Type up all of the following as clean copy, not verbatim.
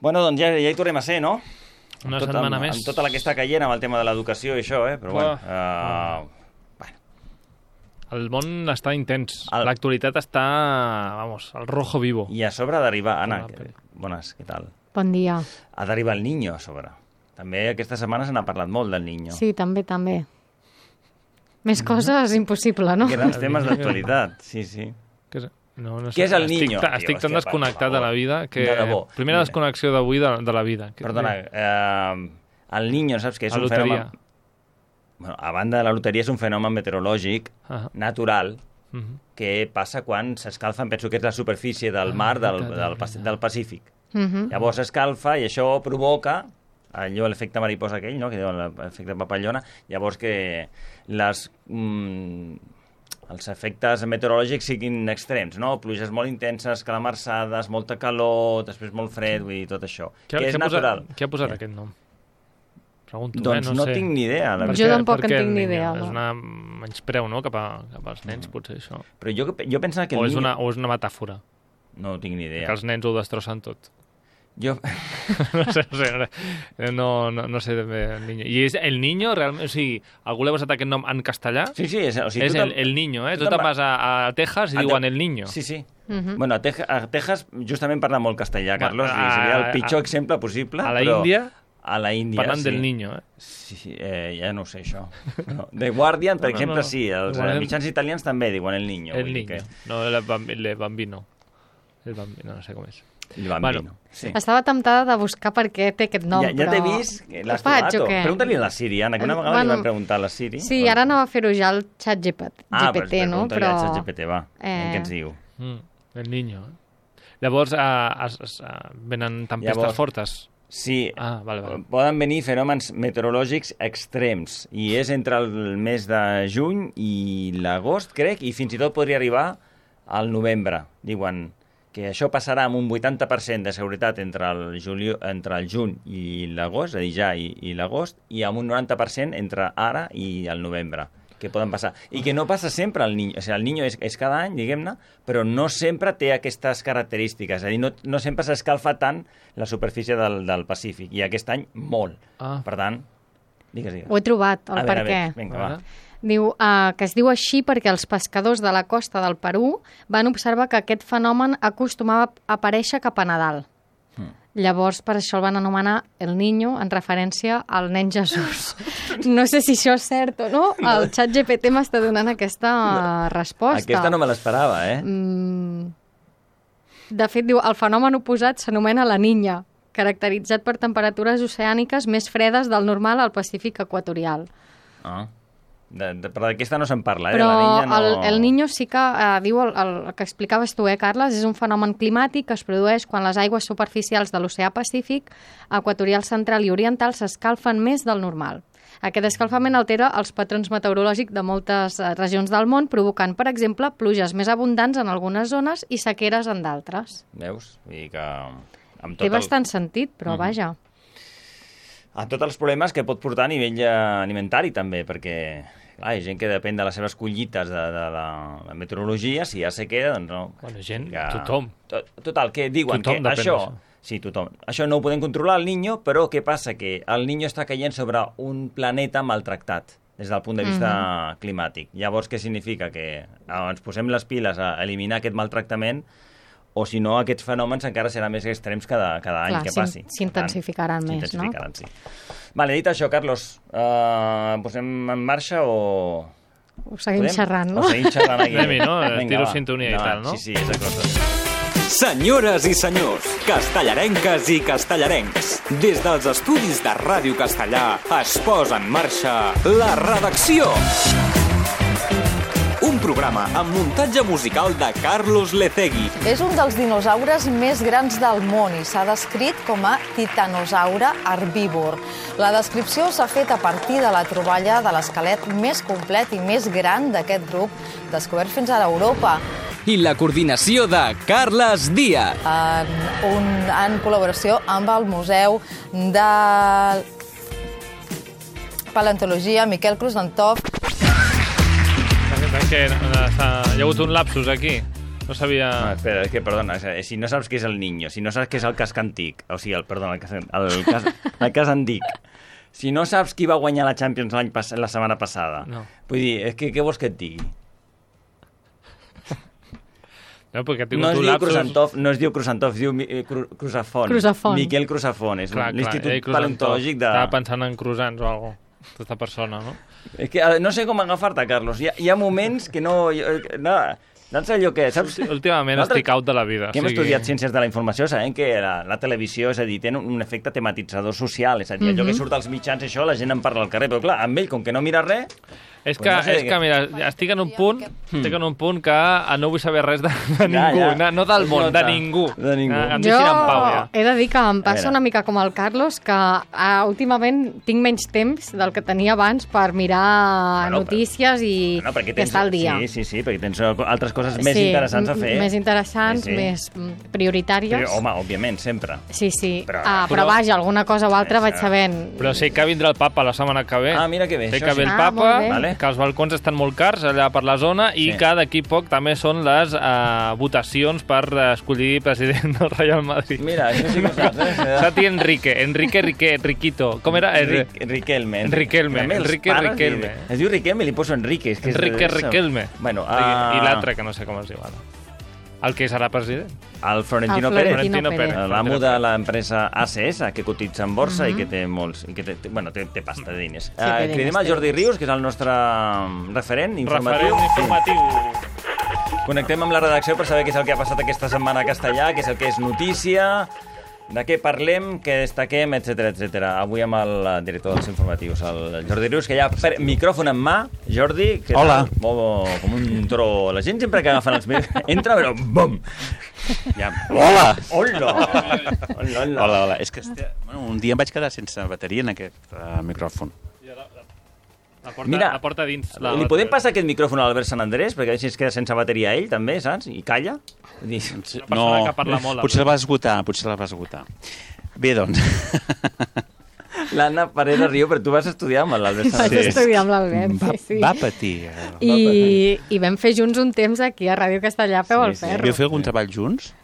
Bueno, doncs ja hi tornem a ser, no? Una setmana més. Amb tota la que està caient amb el tema de l'educació i això, però bueno. El món està intens. L'actualitat està, al rojo vivo. I a sobre d'arribar... Anna, bones, què tal? Bon dia. Ha d'arribar el Niño a sobre. També aquesta setmana se n'ha parlat molt del Niño. Sí, també. Més coses impossible, no? Grans temes d'actualitat, sí. Què és el Niño? Estic tan desconnectat de la vida que... Primera desconnexió d'avui de la vida. Perdona, el Niño, saps què és un fenomen... Bueno, a banda de la loteria, és un fenomen meteorològic natural que passa quan s'escalfa, penso que és la superfície del mar del Pacífic. Llavors s'escalfa i això provoca allò, l'efecte mariposa aquell, no? Que diuen l'efecte papallona, llavors que els efectes meteorològics siguin extrems, no? Pluges molt intenses, calamarsades, molta calor, després molt fred, vull dir, tot això. Que és natural. Què ha posat aquest nom? Pregunto, doncs no tinc ni idea. Jo tampoc en tinc ni idea. És una menyspreu, no?, cap als nens, potser, això. Però jo pensava que... O és una metàfora? No tinc ni idea. Que els nens ho destrossen tot. Jo... No sé ben bé el Niño. I és el Niño, realment? O sigui, algú l'ha posat aquest nom en castellà? Sí. És el Niño, eh? Tu te'n vas a Texas i diuen el Niño. Sí. Bueno, a Texas justament parla molt castellà, Carlos, i seria el pitjor exemple possible. A la Índia... A la Índia, parlant del Niño, eh? Sí, ja no ho sé, això. The Guardian, per exemple, sí. Els mitjans italians també diuen el Niño. El Niño. No, el Bambino. El Bambino, no sé com és. El Bambino, sí. Estava temptada de buscar per què té aquest nom, ja t'he vist, l'has trobat. Pregunta-li a la Siri, Anna, que una vegada li vam preguntar a la Siri. Sí, ara anava a fer-ho ja al xat GPT, no? Pregunta-li al xat GPT, va. Què ens diu? El Niño. Llavors, venen tempestes fortes? Sí, poden venir fenòmens meteorològics extrems i és entre el mes de juny i l'agost, crec, i fins i tot podria arribar al novembre. Diuen que això passarà amb un 80% de seguretat entre el juny i l'agost, és a dir, ja i l'agost, i amb un 90% entre ara i el novembre, que poden passar. I que no passa sempre el Niño. O sigui, el Niño és cada any, diguem-ne, però no sempre té aquestes característiques. És a dir, no sempre s'escalfa tant la superfície del Pacífic. I aquest any, molt. Per tant, digues. Ho he trobat, el per què. Vinga, va. Diu que es diu així perquè els pescadors de la costa del Perú van observar que aquest fenomen acostumava a aparèixer cap a Nadal. Llavors, per això el van anomenar el Niño, en referència al nen Jesús. No sé si això és cert o no. El xat GPT m'està donant aquesta resposta. Aquesta no me l'esperava, eh? De fet, diu, el fenomen oposat s'anomena la Niña, caracteritzat per temperatures oceàniques més fredes del normal al Pacífic equatorial. Però d'aquesta no se'n parla, Però la Niña no... el Niño sí que diu el que explicaves tu, Carles, és un fenomen climàtic que es produeix quan les aigües superficials de l'oceà Pacífic, equatorial central i oriental s'escalfen més del normal. Aquest escalfament altera els patrons meteorològics de moltes regions del món, provocant, per exemple, pluges més abundants en algunes zones i sequeres en d'altres. Veus? Vull dir que... Té bastant sentit, però vaja. A tots els problemes que pot portar a nivell alimentari, també, perquè hi ha gent que depèn de les seves collites de la meteorologia, si hi ha sequera, doncs no. Bueno, gent, tothom. Total, que diuen que això... Sí, tothom. Això no ho podem controlar, el Niño, però què passa? Que el Niño està caient sobre un planeta maltractat des del punt de vista climàtic. Llavors, què significa? Que ens posem les piles a eliminar aquest maltractament, o si no, aquests fenòmens encara seran més extrems cada any que passi. S'intensificaran més, no? Sí. Vale, dit això, Carlos, posem en marxa o... Ho seguim xerrant, no? O seguim xerrant aquí. Anem-hi, no? Tiro sintonia i tal, no? Sí, és la cosa. Senyores i senyors, castellarenques i castellarencs, des dels estudis de Ràdio Castellà es posa en marxa La Redacció. Un programa amb muntatge musical de Carlos Lecegui. És un dels dinosaures més grans del món i s'ha descrit com a titanosaure herbívor. La descripció s'ha fet a partir de la troballa de l'esquelet més complet i més gran d'aquest grup, descobert fins ara a Europa. I la coordinació de Carles Díaz. En col·laboració amb el Museu de Paleontologia Miquel Cruz d'Antov. Perquè hi ha hagut un lapsus aquí. No sabia... No, espera, és que, perdona, si no saps què és el Niño, si no saps què és el casc antic, o sigui, el cas antic, si no saps qui va guanyar la Champions la setmana passada, vull dir, és que què vols que et digui? No es diu Cruzantov, es diu Cruzafont. Miquel Cruzafont, és l'Institut Paleontològic de... Estava pensant en cruzants o alguna cosa, aquesta persona, no? És que no sé com agafar-te, Carlos. Hi ha moments que no... Doncs allò que, saps? Últimament estic out de la vida. Que hem estudiat ciències de la informació, sabem que la televisió, és a dir, té un efecte tematitzador social, és a dir, allò que surt als mitjans, això, la gent en parla al carrer, però clar, amb ell, com que no mira res... És que, mira, estic en un punt que no vull saber res de ningú, no del món, de ningú. Em deixin en pau, ja. He de dir que em passa una mica com el Carlos, que últimament tinc menys temps del que tenia abans per mirar notícies i estar al dia. Sí, perquè tens altres coses més interessants a fer. Més interessants, més prioritàries. Home, òbviament, sempre. Sí. Però vaja, alguna cosa o altra vaig sabent. Però sé que vindrà el papa la setmana que ve. Ah, mira que bé. Sé que ve el papa, que els balcons estan molt cars allà per la zona i que d'aquí poc també són les votacions per escollir president del Real Madrid. Mira, això sí que ho saps, Sati Riquito. Com era? Riquelme. Riquelme. Es diu Riquelme i li poso Enrique. Riquelme. Bueno, I l'altre, que no sé com es diu ara. El que serà president. El Florentino Pérez. L'amo de l'empresa ACS, que cotitza en borsa i que té molts... Bueno, té pasta de diners. Cridem al Jordi Rius, que és el nostre referent informatiu. Connectem amb la redacció per saber què és el que ha passat aquesta setmana a Castellà, què és el que és notícia, de què parlem, què destaquem, etc. Avui amb el director dels informatius, el Jordi Rius, que ja micròfon en mà. Jordi, que hola. Com un tro. La gent sempre que agafen els micròfons entra, però bum! Ja. Hola! Hola. És que un dia em vaig quedar sense bateria en aquest micròfon. La porta dins. Li podem passar aquest micròfon a l'Albert Sant Andrés, perquè així es queda sense bateria ell, també, saps? I calla. No, que parla molt, potser la va esgotar. Bé, doncs... L'Anna Parera riu, però tu vas estudiar amb l'Albert Sant Andrés. Vaig estudiar amb l'Albert, sí. Va patir. I vam fer junts un temps aquí a Ràdio Castellà, Peu al Ferro. Vau fer algun treball junts?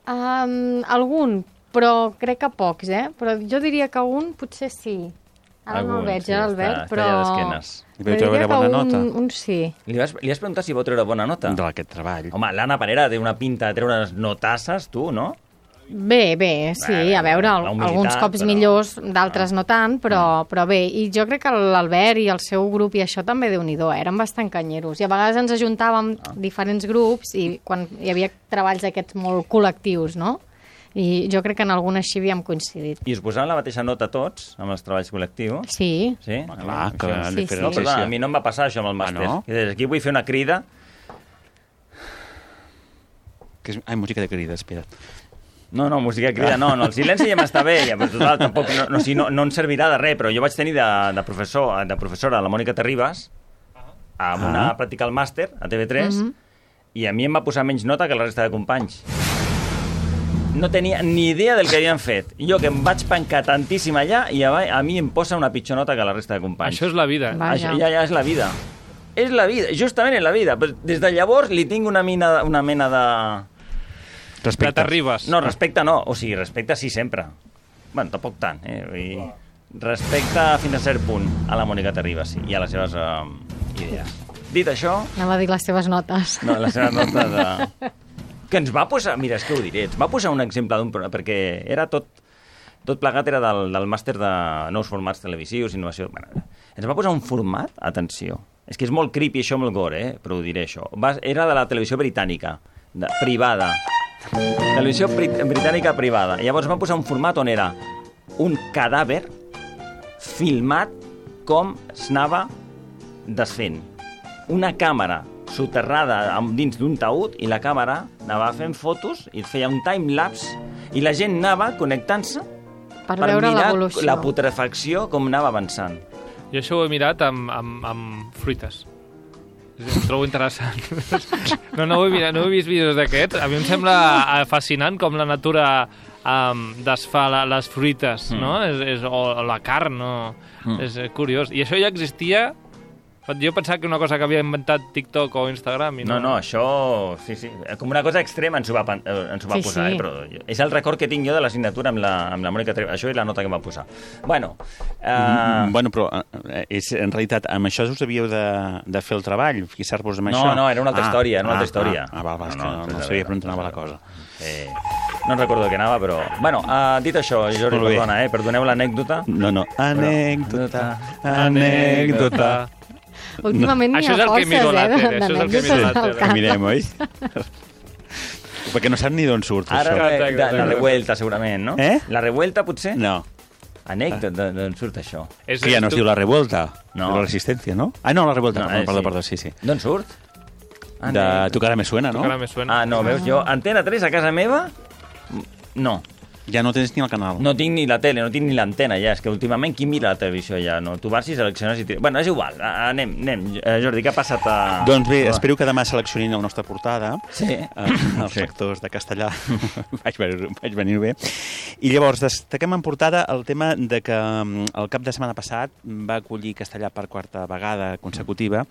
Algun, però crec que pocs, Però jo diria que un potser sí. Ara no el veig, l'Albert, però... Li vau treure bona nota? Un sí. Li has preguntat si vau treure bona nota? D'aquest treball. Home, l'Anna Parera té una pinta de treure unes notasses, tu, no? Bé, sí, a veure, alguns cops millors, d'altres no tant, però bé. I jo crec que l'Albert i el seu grup i això també Déu-n'hi-do, eren bastant canyeros. I a vegades ens ajuntàvem diferents grups i quan hi havia treballs aquests molt col·lectius, no? I jo crec que en alguna així havíem coincidit. I us posaven la mateixa nota tots, amb els treballs col·lectius? Sí. Sí? Clar, que han de fer no, perdona, a mi no em va passar això amb el màster. No? Aquí vull fer una crida. Música de crida, espera't. No, música de crida, no, el silenci ja m'està bé, ja, però total, tampoc, no ens servirà de res, però jo vaig tenir de professora la Mònica Terribas, amb una pràctica al màster, a TV3, i a mi em va posar menys nota que la resta de companys. No tenia ni idea del que havien fet. Jo que em vaig pencar tantíssim allà i a mi em posa una pitjor nota que la resta de companys. Això és la vida. Això ja és la vida. És la vida, justament és la vida. Però des de llavors li tinc una mena de... Respecte. T'arribes. No, respecte no. O sigui, respecte sí sempre. Bueno, tampoc tant. Respecte fins a cert punt a la Mònica Terribas i a les seves idees. Dit això... Anava a dir les seves notes. No, les seves notes de... Que ens va posar, mira, és que ho diré, ens va posar un exemple d'un programa, perquè era tot plegat era del màster de nous formats televisius, innovació... Bueno, ens va posar un format, atenció, és que és molt creepy això, molt gore, però ho diré això. Era de la televisió britànica, privada. Televisió britànica privada. I llavors va posar un format on era un cadàver filmat com s'anava desfent. Una càmera soterrada dins d'un taüt i la càmera anava fent fotos i feia un time-lapse i la gent anava connectant-se per mirar la putrefacció com anava avançant. Jo això ho he mirat amb fruites. Em trobo interessant. No he vist vídeos d'aquests. A mi em sembla fascinant com la natura desfà les fruites, no? O la carn, no? És curiós. I això ja existia... Jo pensava que una cosa que havia inventat TikTok o Instagram i no. No, això... Sí. Com una cosa extrema ens ho va posar, sí. Però és el record que tinc jo de la signatura amb la Mònica Treva. Això és la nota que em va posar. Bueno, però en realitat amb això us havíeu de fer el treball, fixar-vos amb això? No, era una altra història, no sabia per on anava la cosa. No recordo què anava, però... Bueno, dit això, Jordi, perdona, perdoneu l'anècdota. No, anècdota. Últimament Això és el que miro a l'àter, això és el que miro a l'àter. Mirem, oi? Perquè no sap ni d'on surt, això. Ara la revuelta, segurament, no? La revuelta, potser? No. Anècdota, d'on surt això? Que ja no es diu la revuelta, no. La resistència, no? No, la revuelta, perdó, sí. D'on surt? De Tu cara me suena, no? No, veus, jo, Antena 3 a casa meva, no. Ja no tens ni el canal. No tinc ni la tele, no tinc ni l'antena, ja. És que últimament qui mira la televisió ja? No? Tu vas i selecciones i... Bueno, és igual. Anem. Jordi, què ha passat a... Doncs bé, espero que demà seleccionin la nostra portada. Sí. Els sectors de castellà. vaig venir bé. I llavors, destaquem en portada el tema de que el cap de setmana passat va acollir Castellà per quarta vegada consecutiva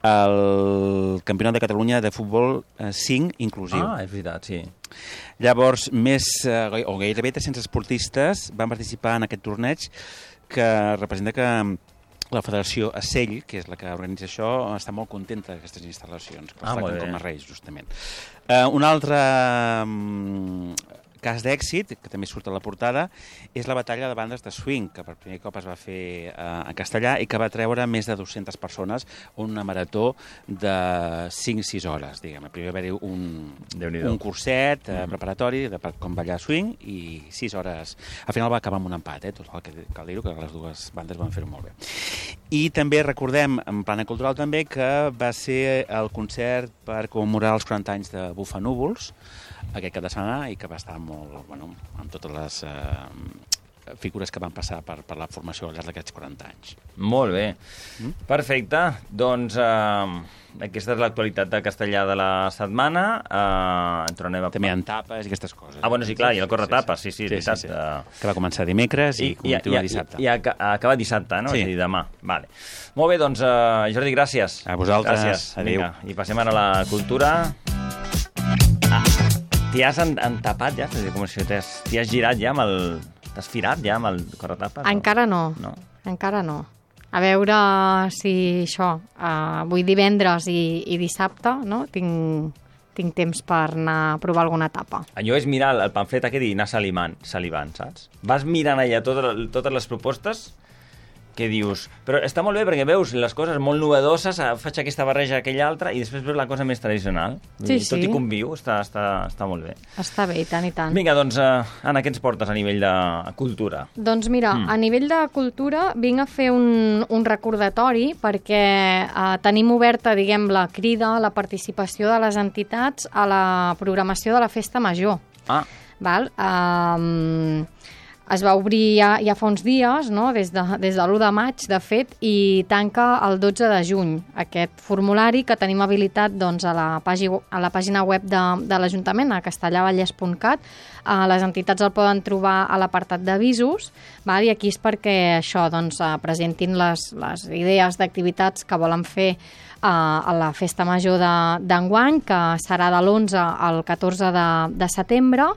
el Campionat de Catalunya de Futbol 5 inclusiu. És veritat, sí. Llavors, gairebé 300 esportistes van participar en aquest torneig que representa que la Federació Acell, que és la que organitza això, està molt contenta d'aquestes instal·lacions, que es tracten com a reis, justament. Un altre cas d'èxit, que també surt a la portada, és la batalla de bandes de swing, que per primer cop es va fer a Castellà i que va treure més de 200 persones, una marató de 5-6 hores, diguem. Primer va haver-hi un curset preparatori de com ballar swing i 6 hores. Al final va acabar amb un empat, tot el que cal dir-ho, que les dues bandes van fer-ho molt bé. I també recordem, en plana cultural també, que va ser el concert per commemorar els 40 anys de Bufanúvols, aquest cap de setmana, i que va estar molt, amb totes les figures que van passar per la formació al llarg d'aquests 40 anys. Molt bé. Perfecte. Doncs aquesta és l'actualitat de Castellà de la setmana. També hi ha tapes i aquestes coses. Bueno, sí, clar, i el corretapes, sí, veritat. Que va començar dimecres i continua dissabte. I acaba dissabte, no? Sí. És a dir, demà. Vale. Molt bé, doncs, Jordi, gràcies. A vosaltres. Gràcies. Adéu. Vinga, i passem ara a la cultura. T'hi has entapat ja? Com si t'hi has girat ja amb el... T'has firat ja amb el corretapes? Encara no. Encara no. A veure si això, avui divendres i dissabte, no? Tinc temps per anar a provar alguna etapa. Allò és mirar el pamflet aquest i anar salivant, saps? Vas mirant allà totes les propostes que dius... Però està molt bé perquè veus les coses molt novedoses, faig aquesta barreja aquella altra i després veus la cosa més tradicional. Sí. Tot i conviu, està molt bé. Està bé, i tant, i tant. Vinga, doncs, Anna, què ens portes a nivell de cultura? Doncs mira, a nivell de cultura vinc a fer un recordatori perquè tenim oberta, diguem, la crida, la participació de les entitats a la programació de la Festa Major. Val? Es va obrir ja fa uns dies, no? des de l'1 de maig, de fet, i tanca el 12 de juny. Aquest formulari que tenim habilitat doncs, a la pàgina web de l'Ajuntament, a castellavallès.cat. Les entitats el poden trobar a l'apartat d'avisos, i aquí és perquè això doncs, presentin les idees d'activitats que volen fer a la Festa Major d'enguany, que serà de l'11 al 14 de setembre.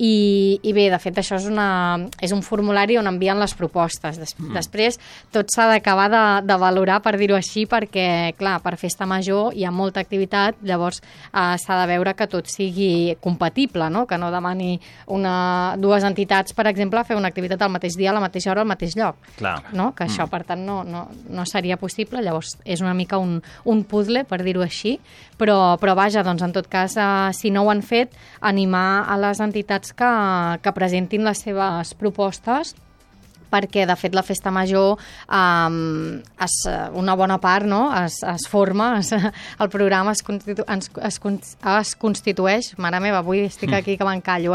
I bé, de fet, això és un formulari on envien les propostes. Després, tot s'ha d'acabar de valorar, per dir-ho així, perquè, clar, per Festa Major hi ha molta activitat, llavors s'ha de veure que tot sigui compatible, no? Que no demani dues entitats, per exemple, fer una activitat al mateix dia, a la mateixa hora, al mateix lloc. Clar. No? Que això, per tant, no seria possible. Llavors, és una mica un puzzle, per dir-ho així, però vaja, doncs, en tot cas, si no ho han fet, animar a les entitats que presentin les seves propostes, perquè, de fet, la Festa Major, una bona part, no? es forma, el programa es constitueix, mare meva, avui estic aquí que m'encallo,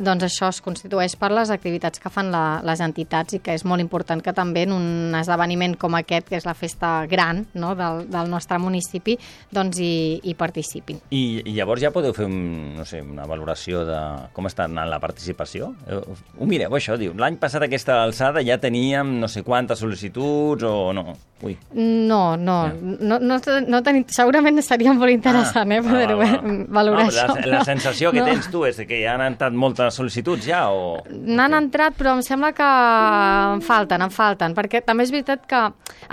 doncs això es constitueix per les activitats que fan les entitats i que és molt important que també en un esdeveniment com aquest, que és la festa gran, no? del nostre municipi, doncs hi participin. I llavors ja podeu fer una valoració de com està anant la participació? Ho mireu, això, diu, l'any passat aquest aquesta alçada ja teníem no sé quantes sol·licituds o no? Ui. No tenim... Segurament seria molt interessant, poder valorar això. La sensació que tens tu és que ja han entrat moltes sol·licituds ja o... N'han entrat, però em sembla que en falten, perquè també és veritat que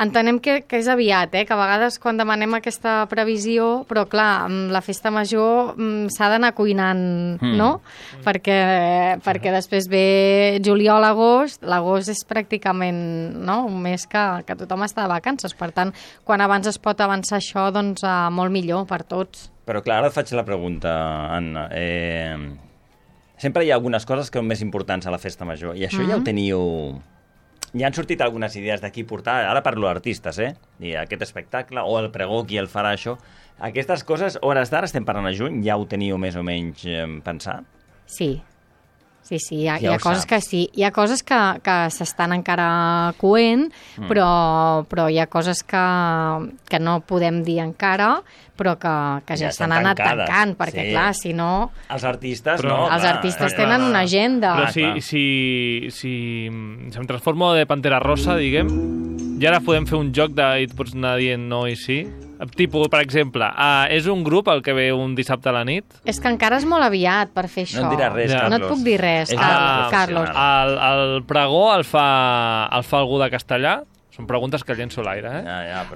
entenem que és aviat, que a vegades quan demanem aquesta previsió, però clar, la festa major s'ha d'anar cuinant, no? Perquè després ve juliol, agost, l'agost és pràcticament un mes que tothom està de vacances, per tant, quan abans es pot avançar això, doncs molt millor per tots. Però clar, ara et faig la pregunta, Anna. Sempre hi ha algunes coses que són més importants a la festa major, i això ja ho teniu... Ja han sortit algunes idees d'aquí portar, ara parlo d'artistes, i aquest espectacle, o el pregó, qui el farà això. Aquestes coses, hores d'ara, estem parlant a juny, ja ho teniu més o menys pensat? Sí, hi ha coses que sí. Hi ha coses que s'estan encara coent, però hi ha coses que no podem dir encara, però que ja s'han anat tancant, perquè clar, si no... Els artistes, no? Els artistes tenen una agenda. Però si em transformo de Pantera Rosa, diguem, i ara podem fer un joc de i pots anar dient no i sí. Tipus, per exemple, és un grup el que ve un dissabte a la nit? És que encara és molt aviat per fer això. No et diràs res, Carlos. No et puc dir res, Carlos. El pregó el fa algú de Castellà? Són preguntes que llenço a l'aire,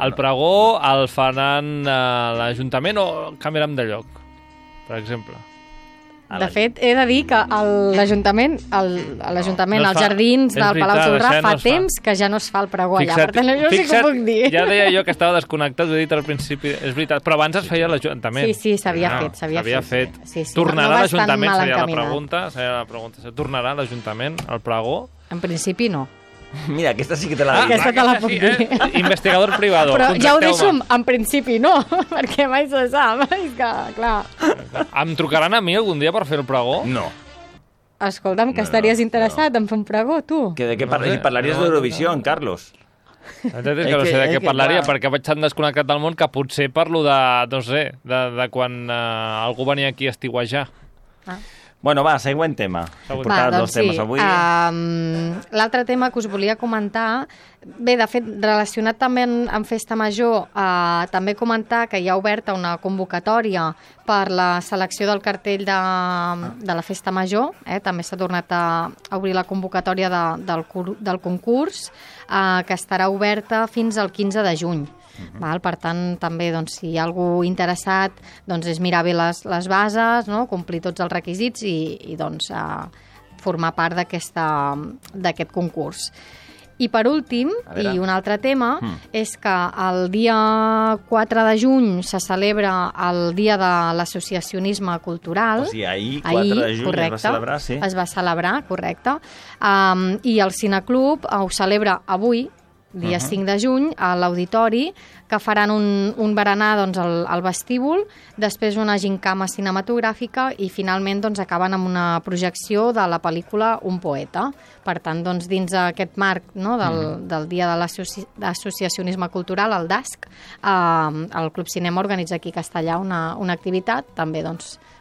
El pregó el faran l'Ajuntament o canviaran de lloc, per exemple? De fet, he de dir que l'Ajuntament, als jardins del Palau Tordrà, fa temps que ja no es fa el pregó allà. Per tant, això sí que ho puc dir. Ja deia jo que estava desconnectat, ho he dit al principi, és veritat, però abans es feia l'Ajuntament. Sí, s'havia fet. Tornarà l'Ajuntament, seria la pregunta. Tornarà l'Ajuntament al pregó? En principi no. Mira, aquesta sí que te la dic. Aquesta te la puc dir. Investigador privado. Però ja ho deixo en principi no, perquè mai se sap. És que, clar... Em trucaran a mi algun dia per fer el pregó? No. Escolta'm, que estaries interessat en fer un pregó, tu? De què parlaries d'Eurovisió, Carlos? És que no sé de què parlaria, perquè vaig tan desconnectat del món que potser parlo de, no sé, de quan algú venia aquí a estiuejar. Bueno, va, següent tema. Doncs sí. L'altre tema que us volia comentar, bé, de fet, relacionat també amb Festa Major, també comentar que hi ha oberta una convocatòria per la selecció del cartell de la Festa Major. També s'ha tornat a obrir la convocatòria del concurs, que estarà oberta fins al 15 de juny. Per tant, també, si hi ha algú interessat, és mirar bé les bases, complir tots els requisits i formar part d'aquest concurs. I per últim, i un altre tema, és que el dia 4 de juny se celebra el Dia de l'Associacionisme Cultural. O sigui, ahir, 4 de juny, correcte, es va celebrar, sí. Es va celebrar, correcte. I el Cineclub ho celebra avui, dia 5 de juny, a l'Auditori, que faran un berenar al vestíbul, després una gincama cinematogràfica i finalment acaben amb una projecció de la pel·lícula Un poeta. Per tant, dins d'aquest marc del Dia de l'Associacionisme Cultural, el DASC, el Club Cinema organitza aquí a Castellà una activitat, també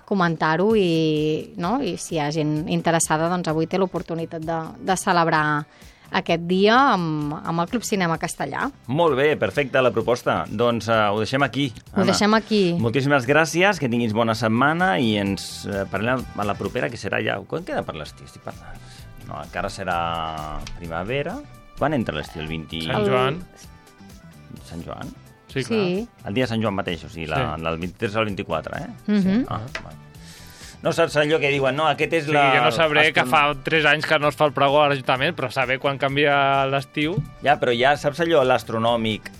comentar-ho i si hi ha gent interessada, avui té l'oportunitat de celebrar aquest dia amb el Club Cinema Castellà. Molt bé, perfecte la proposta. Doncs ho deixem aquí, Anna. Ho deixem aquí. Moltíssimes gràcies, que tinguis bona setmana i ens parlem a la propera, que serà ja... Quan queda per l'estiu? Estic parlant. No, encara serà primavera. Quan entra l'estiu? El 20... Sant Joan. Sant Joan? Sí, clar. El dia de Sant Joan mateix, o sigui, del 23 al 24, Sí. Bueno. No saps allò que diuen, no, aquest és la... Sí, jo no sabré que fa 3 anys que no es fa el pregó a l'Ajuntament, però saber quan canvia l'estiu... Ja, però ja saps allò, l'astronòmic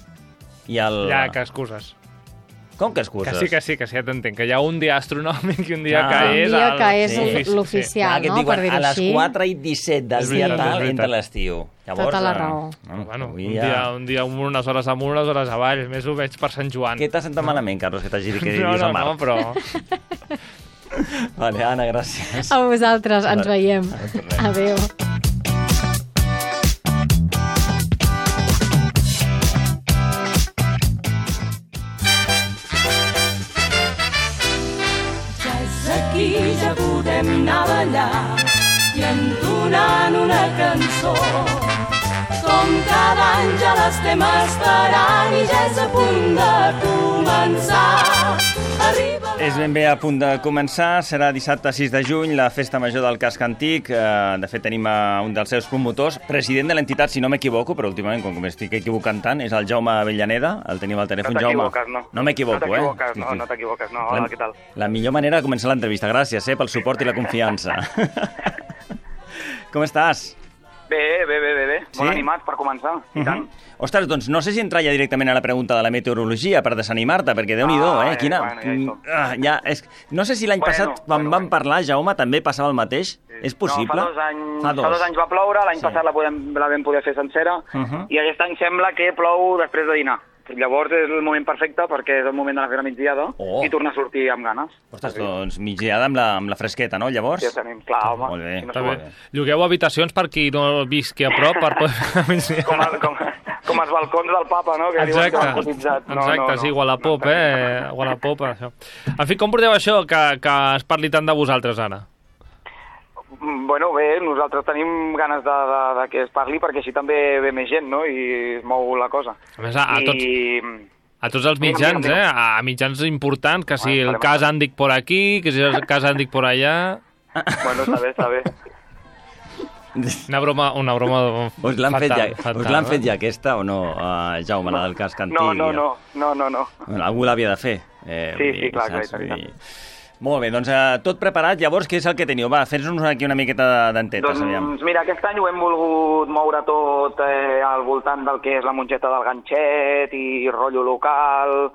i el... Ja, que excuses. Com que excuses? Que sí, ja t'entenc, que hi ha un dia astronòmic i un dia que és... Un dia que és l'oficial, no? Per dir-ho així. A les 4 i 17 del dia tal entra l'estiu. Tota la raó. Bueno, un dia unes hores amunt, unes hores avall, més o menys per Sant Joan. Què t'ha sentat malament, Carlos, que t'hagi dit que vius a Mar? No, però... Vale, Anna, gràcies. A vosaltres, ens veiem. Adéu. Ja és aquí, ja podem anar a ballar i entonant una cançó. Com cada any ja l'estem esperant i ja és a punt de començar. És ben bé a punt de començar, serà dissabte 6 de juny, la Festa Major del Casc Antic. De fet, tenim un dels seus promotors, president de l'entitat, si no m'equivoco, però últimament, com m'estic equivocant tant, és el Jaume Avellaneda, el tenim al telèfon. Jaume. No m'equivoco, No t'equivoques, no. Hola, què tal? La millor manera de començar l'entrevista. Gràcies pel suport i la confiança. Com estàs? Bé. Sí? Molt animats per començar, i tant. Ostres, doncs no sé si entrar ja directament a la pregunta de la meteorologia per desanimar-te, perquè Déu-n'hi-do, Quina... No sé si l'any passat, quan vam parlar, Jaume, també passava el mateix. És possible? No, fa 2 anys va ploure, l'any passat la vam poder fer sencera, i aquest any sembla que plou després de dinar. Llavors és el moment perfecte perquè és el moment de la fera migdiada i tornar a sortir amb ganes. Ostres, doncs migdiada amb la fresqueta, no, llavors? Sí, tenim, clar, home. Molt bé. Si no Llogueu habitacions per qui no visqui a prop per poder fer migdiada. Com els balcons del papa, no? Que Exacte, sí, Wallapop, Wallapop, això. En fi, com porteu això que es parli tant de vosaltres ara? Bueno, bé, nosaltres tenim ganes de que es parli perquè així també ve més gent, no? I es mou la cosa. A més, a tots els mitjans, a mitjans importants, que si el cas Àndic por aquí, que si el cas Àndic por allà... Bueno, està bé. Una broma us l'han fet ja aquesta o no, Jaume, la del cas Antic? No. Algú l'havia de fer. Sí, clar, i tant. Molt bé, doncs tot preparat. Llavors, què és el que teniu? Va, fes-nos aquí una miqueta d'entetes, aviam. Doncs mira, aquest any ho hem volgut moure tot al voltant del que és la mongeta del ganxet i rotllo local,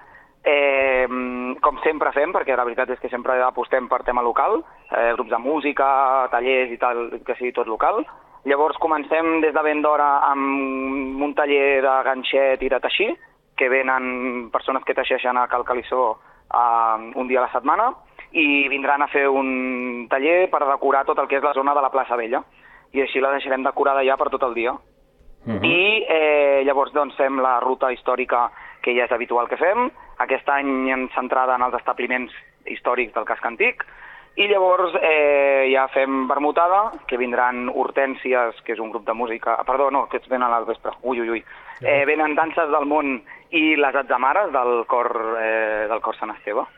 com sempre fem, perquè la veritat és que sempre apostem per tema local, grups de música, tallers i tal, que sigui tot local. Llavors comencem des de ben d'hora amb un taller de ganxet i de teixir, que venen persones que teixeixen a Cal Calissó un dia a la setmana, i vindran a fer un taller per decorar tot el que és la zona de la plaça Vella. I així la deixarem decorada ja per tot el dia. I llavors doncs fem la ruta històrica que ja és habitual que fem. Aquest any centrada en els establiments històrics del casc antic. I llavors ja fem vermutada, que vindran Hortències, que és un grup de música... Perdó, no, que venen al vespre. Ui. Venen Danses del Món i les Atzamares del cor Sant Esteve.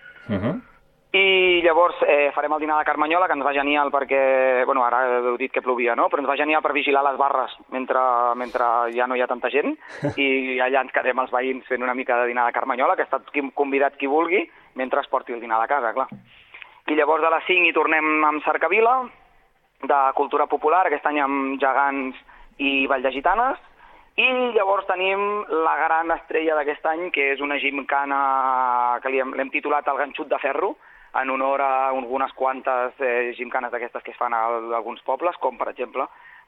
I llavors farem el dinar de Carmanyola, que ens va genial perquè, bueno, ara heu dit que plovia, no? Però ens va genial per vigilar les barres mentre ja no hi ha tanta gent, i allà ens quedem els veïns fent una mica de dinar de Carmanyola, que ha estat convidat qui vulgui, mentre es porti el dinar de casa, clar. I llavors a les 5 hi tornem amb Cercavila, de cultura popular, aquest any amb gegants i ball de gitanes, i llavors tenim la gran estrella d'aquest any, que és una gimcana que l'hem titulat El ganxut de ferro, en honor a algunes quantes gimcanes d'aquestes que es fan a alguns pobles, com per exemple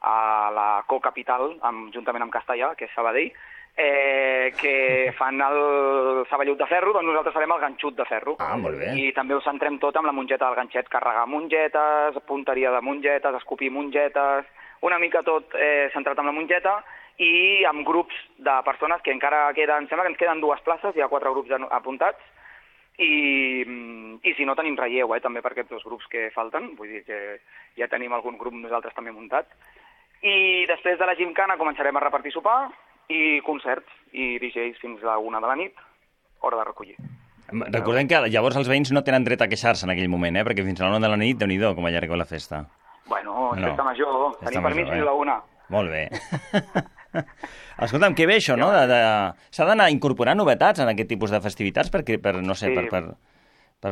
a la Co-Capital, juntament amb Castellà, que és Sabadell, que fan el saballut de ferro, doncs nosaltres farem el ganxut de ferro. Molt bé. I també ho centrem tot amb la mongeta del ganxet, carregar mongetes, punteria de mongetes, escopir mongetes, una mica tot centrat amb la mongeta, i amb grups de persones que encara queden, sembla que ens queden 2 places, hi ha 4 grups apuntats, i si no tenim relleu, també per aquests 2 grups que falten, vull dir que ja tenim algun grup nosaltres també muntat. I després de la gimcana començarem a repartir sopar i concerts i DJs fins a la 1 de la nit, hora de recollir. Recordem que llavors els veïns no tenen dret a queixar-se en aquell moment, perquè fins a la 1 de la nit, Déu-n'hi-do, com allargueu la festa. Bueno, festa major, tenim permís fins a la 1. Molt bé. Escolta'm, que bé això, no? S'ha d'anar incorporant novetats en aquest tipus de festivitats per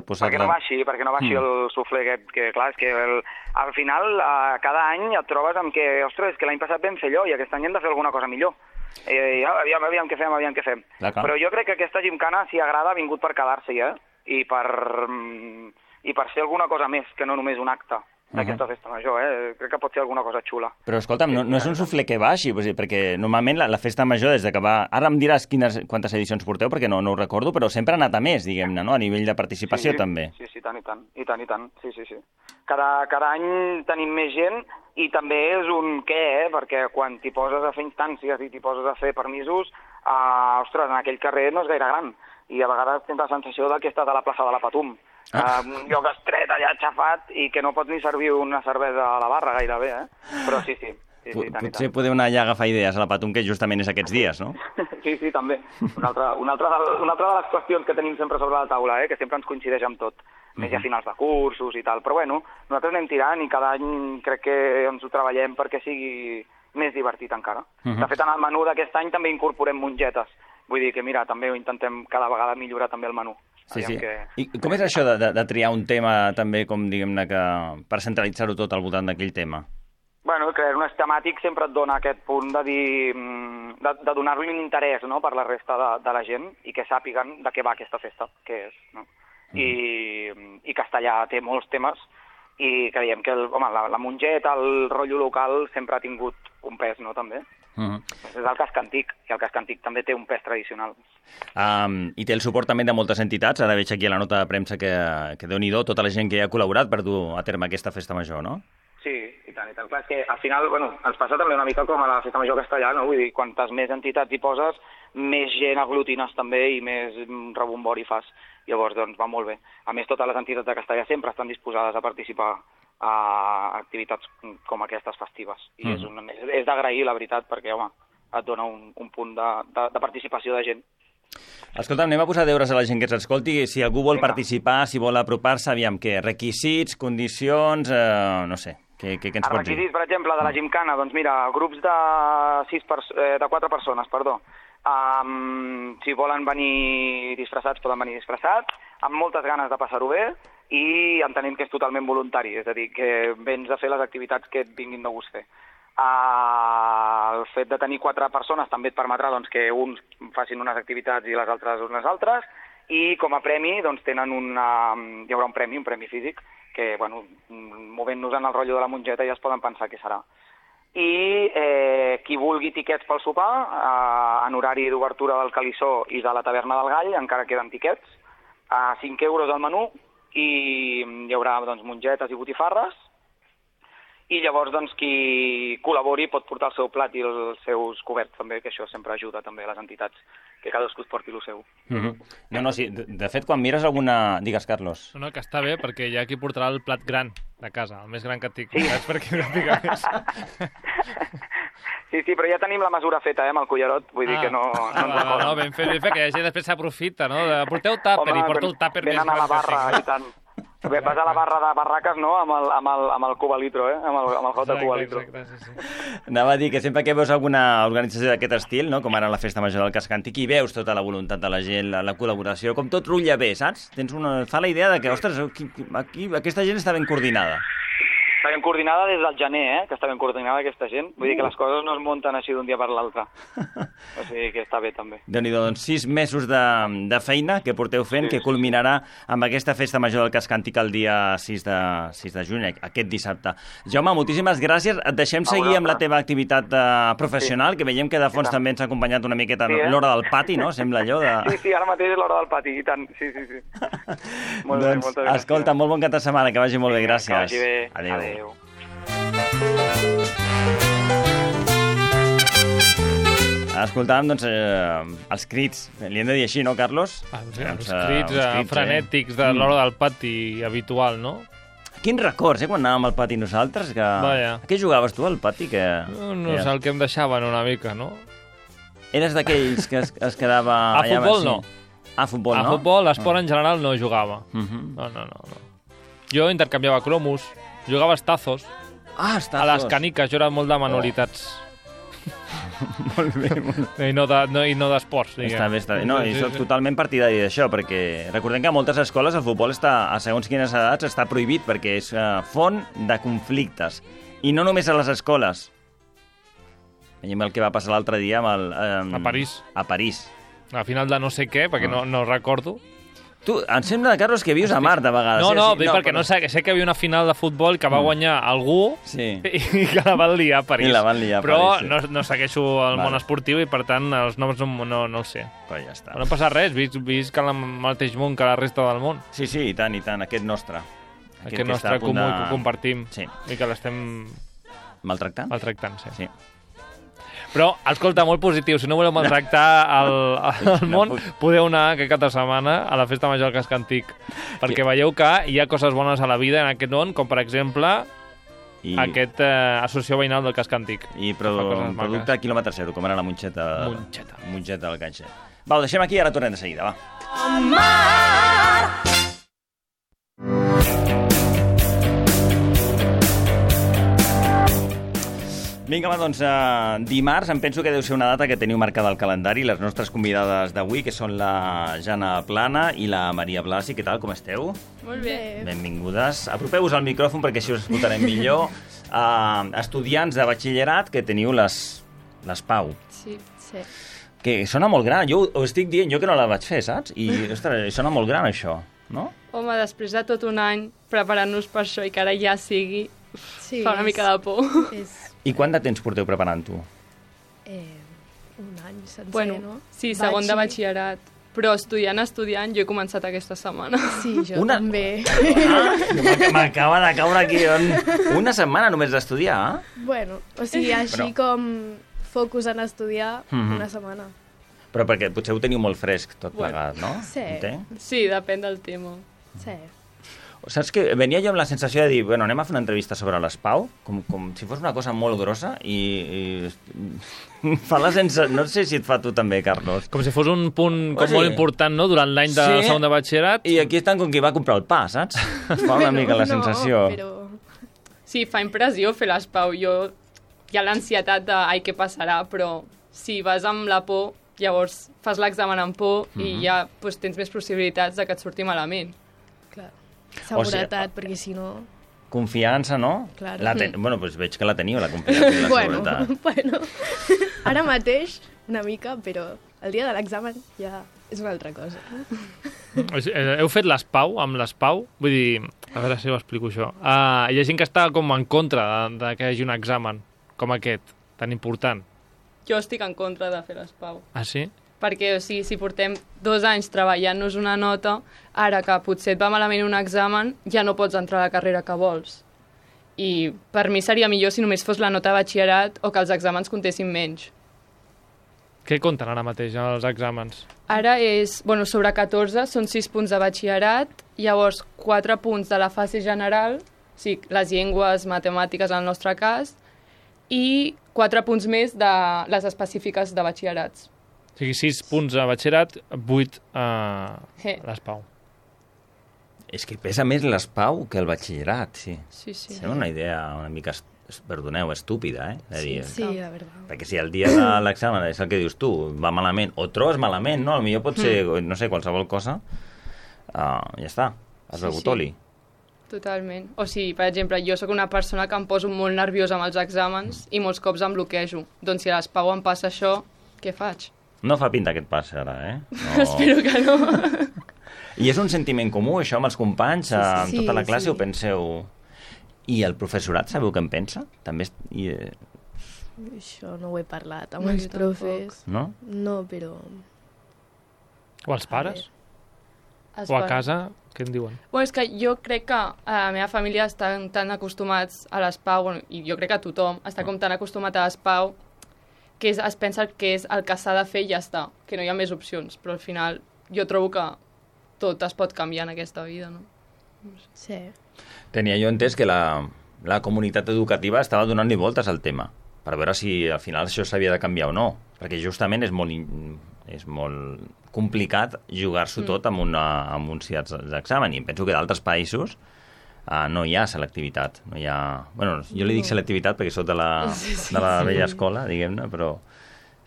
posar... Perquè no baixi el suflé aquest, que clar, és que al final cada any et trobes amb que, ostres, és que l'any passat vam fer allò i aquest any hem de fer alguna cosa millor. Aviam què fem. Però jo crec que aquesta gimcana, si agrada, ha vingut per quedar-s'hi, i per ser alguna cosa més que no només un acte d'aquesta festa major, crec que pot ser alguna cosa xula. Però escolta'm, no és un suflé que baixi, perquè normalment la festa major des de que va... Ara em diràs quantes edicions porteu, perquè no ho recordo, però sempre ha anat a més, diguem-ne, no? A nivell de participació també. Sí, tant, sí. Cada any tenim més gent i també és un què, perquè quan t'hi poses a fer instàncies i t'hi poses a fer permisos, ostres, en aquell carrer no és gaire gran i a vegades tens la sensació que estàs a la plaça de la Patum. Un lloc estret allà aixafat i que no pots ni servir una cervesa a la barra gairebé, però sí. Sí, Potser podeu anar allà a agafar idees a la Patum, que justament és aquests dies, no? Sí, també. Una altra de les qüestions que tenim sempre sobre la taula, que sempre ens coincideix amb tot, més a finals de cursos i tal. Però bueno, nosaltres anem tirant i cada any crec que ens ho treballem perquè sigui més divertit encara. De fet, en el menú d'aquest any també incorporem mongetes. Vull dir que, mira, també ho intentem cada vegada millorar també el menú. Sí. I com és això de triar un tema també, com diguem-ne, que per centralitzar-ho tot al voltant d'aquell tema? Bueno, crear un temàtic sempre et dona aquest punt de dir, de donar-li un interès, no?, per la resta de la gent i que sàpiguen de què va aquesta festa, què és, no? I Castellà té molts temes i creiem que la mongeta, el rotllo local sempre ha tingut un pes, no?, també. És el casc antic, i el casc antic també té un pes tradicional. I té el suport també de moltes entitats. Ara veig aquí a la nota de premsa que Déu-n'hi-do, tota la gent que hi ha col·laborat per dur a terme aquesta festa major, no? Sí, i tant. Clar, és que al final, ens passa també una mica com a la Festa Major Castellà, no? Vull dir, quantes més entitats hi poses, més gent aglutines també i més rebombori fas. Llavors, doncs, va molt bé. A més, totes les entitats de Castellà sempre estan disposades a participar a activitats com aquestes festives. I és d'agrair, la veritat, perquè, home, et dona un punt de participació de gent. Escolta, anem a posar deures a la gent que ens escolti. Si algú vol participar, si vol apropar-se, aviam, què? Requisits, condicions, no sé. Què ens pots dir? Els requisits, per exemple, de la gimcana, doncs mira, grups de 4 persones, si volen venir disfressats, poden venir disfressats, amb moltes ganes de passar-ho bé i entenem que és totalment voluntari, és a dir, que vens a fer les activitats que et vinguin de gust fer. El fet de tenir 4 persones també et permetrà doncs, que uns facin unes activitats i les altres unes altres, i com a premi doncs, hi haurà un premi físic, que, bueno, movent-nos en el rotllo de la mongeta ja es poden pensar què serà. I qui vulgui tiquets pel sopar, en horari d'obertura del Calissó i de la Taverna del Gall, encara queden tiquets, a 5 euros al menú, i hi haurà doncs, mongetes i botifarres, i llavors doncs, qui col·labori pot portar el seu plat i els seus coberts també, que això sempre ajuda també a les entitats, que cadascú es porti el seu. No, sí, de fet, quan mires alguna... Digues, Carlos. No, que està bé, perquè hi ha qui portarà el plat gran de casa, el més gran que tinc. Sí. Perquè no pica més. Sí, però ja tenim la mesura feta, amb el cullerot, vull dir que no ens recorda. No, ben fet, que la gent després s'aprofita, no? Porteu tàper i porto el tàper més gran. Venen a la barra i tant. Vas a la barra de barraques, no?, amb el cubalitro, amb el hot de cubalitro. Sí. Anava a dir que sempre que veus alguna organització d'aquest estil, no?, com ara la Festa Major del Casc Antic, i veus tota la voluntat de la gent, la col·laboració, com tot rutlla bé, saps? Fa la idea de que, ostres, aquí aquesta gent està ben coordinada. Està ben coordinada des del gener, que està ben coordinada aquesta gent. Vull dir que les coses no es munten així d'un dia per l'altre. O sigui que està bé, també. Déu-n'hi-do, doncs 6 mesos de feina que porteu fent, que culminarà amb aquesta Festa Major del Casc Antic el dia 6 de juny, aquest dissabte. Jaume, moltíssimes gràcies. Et deixem seguir amb la teva activitat professional, que veiem que de fons també ens ha acompanyat una miqueta l'hora del pati, no? Sembla allò de... Sí, ara mateix és l'hora del pati, i tant. Sí. Molt bé, moltes gràcies. Escolta, molt bon cap de setmana, que vagi molt bé, gràcies. Que vagi bé. Adéu. Escoltàvem, doncs, els crits, li hem de dir així, no, Carlos? Els crits frenètics de l'hora del pati habitual, no? Quins records, quan anàvem al pati nosaltres? A què jugaves tu al pati? No és el que em deixaven una mica, no? Eres d'aquells que es quedava... A futbol no. A futbol no? A futbol, l'esport en general no jugava. No. Jo intercanviava cromos, jugava a tazos. A les caniques, jo era molt de manualitats. Molt bé. I no d'esports. Està bé. No, i soc totalment partidari d'això, perquè recordem que a moltes escoles el futbol a segons quines edats està prohibit, perquè és font de conflictes. I no només a les escoles. Veiem el que va passar l'altre dia amb a París. A París. A final de no sé què, perquè no recordo. Tu, em sembla, Carlos, que vius a Mart, de vegades. Perquè no sé que hi havia una final de futbol que va guanyar algú i que la van liar a París. Però no segueixo el món esportiu i, per tant, els noms no els sé. Però ja està. No passa res, vist que el mateix món que la resta del món. Sí, i tant, aquest nostre. Aquest nostre comú que compartim i que l'estem... Maltractant? Maltractant, sí. Però, escolta, molt positiu. Si no voleu maltractar el món, podeu anar aquest cap de setmana a la Festa Major del Casc Antic. Perquè veieu que hi ha coses bones a la vida en aquest món, com per exemple aquest associació veïnal del casc antic. I producte quilòmetre zero, com era la Monxeta del Ganxet. Va, ho deixem aquí i ara tornem de seguida, va. Vinga, va, doncs dimarts em penso que deu ser una data que teniu marcada al calendari. Les nostres convidades d'avui, que són la Jana Plana i la Maria Blasi. Què tal, com esteu? Molt bé. Benvingudes. Apropeu-vos al micròfon perquè així us escoltarem millor. Estudiants de batxillerat que teniu les PAU. Sí. Que sona molt gran. Jo ho estic dient, jo que no la vaig fer, saps? I, ostres, sona molt gran, això, no? Home, després de tot un any preparant-nos per això i que ara ja sigui, fa una mica de por. I quant de temps porteu preparant-ho? Un any sencer, no? Sí, segon de batxillerat. Però estudiant, jo he començat aquesta setmana. Sí, jo també. M'acaba de caure aquí. Una setmana només d'estudiar? Bueno, o sigui, així com focus en estudiar, una setmana. Però perquè potser ho teniu molt fresc tot plegat, no? Sí, depèn del tema. Sí. Saps que venia jo amb la sensació de dir, bueno, anem a fer una entrevista sobre les PAU, com si fos una cosa molt grossa, i fa la sensació... No sé si et fa tu també, Carlos. Com si fos un punt molt important, no?, durant l'any de segon de batxillerat. I aquí estan com qui va comprar el pa, saps? Fa una mica la sensació. Sí, fa impressió fer les PAU. Hi ha l'ansietat de, què passarà, però si vas amb la por, llavors fas l'examen amb por i ja tens més possibilitats de que et surti malament. Clar. Seguretat, perquè si no... Confiança, no? Claro. Bueno, doncs veig que la teniu, la confiança i la seguretat. Bueno, ara mateix una mica, però el dia de l'examen ja és una altra cosa. Heu fet les PAU amb les PAU? Vull dir, a veure si ho explico això. Hi ha gent que està com en contra de que hi hagi un examen com aquest, tan important. Jo estic en contra de fer les PAU. Ah, sí? Perquè si portem 2 anys treballant-nos una nota, ara que potser et va malament un examen, ja no pots entrar a la carrera que vols. I per mi seria millor si només fos la nota de batxillerat o que els exàmens comptessin menys. Què compten ara mateix els exàmens? Ara és, sobre 14 són 6 punts de batxillerat, llavors 4 punts de la fase general, sí, les llengües, matemàtiques en el nostre cas, i 4 punts més de les específiques de batxillerats. O sigui, 6 punts a batxillerat, 8 a les PAU. És que pesa més les PAU que el batxillerat, sí. Sí. És una idea una mica, perdoneu, estúpida, Sí, la veritat. Perquè si el dia de l'examen és el que dius tu, va malament, o trobes malament, no? Potser pot ser, no sé, qualsevol cosa, ja està, has begut oli. Totalment. O sigui, per exemple, jo sóc una persona que em poso molt nerviosa amb els exàmens i molts cops em bloquejo. Doncs si a les PAU em passa això, què faig? No fa pinta que et passi ara, No. Espero que no. I és un sentiment comú, això, amb els companys, amb tota la classe, ho penseu... I el professorat, sabeu què en pensa? També... Això no ho he parlat amb els profes. No? No, però... O els pares? O a casa, què en diuen? Bueno, és que jo crec que a la meva família estan tan acostumats a les PAU, i jo crec que tothom està com tan acostumat a les PAU, que es pensa que és el que s'ha de fer i ja està, que no hi ha més opcions, però al final jo trobo que tot es pot canviar en aquesta vida, no? Sí. Tenia jo entès que la comunitat educativa estava donant-li voltes al tema, per veure si al final això s'havia de canviar o no, perquè justament és molt complicat jugar-s'ho tot amb un ciats d'examen, i penso que d'altres països no hi ha selectivitat. No hi ha... Bueno, jo li dic selectivitat perquè soc de la vella escola, diguem-ne, però...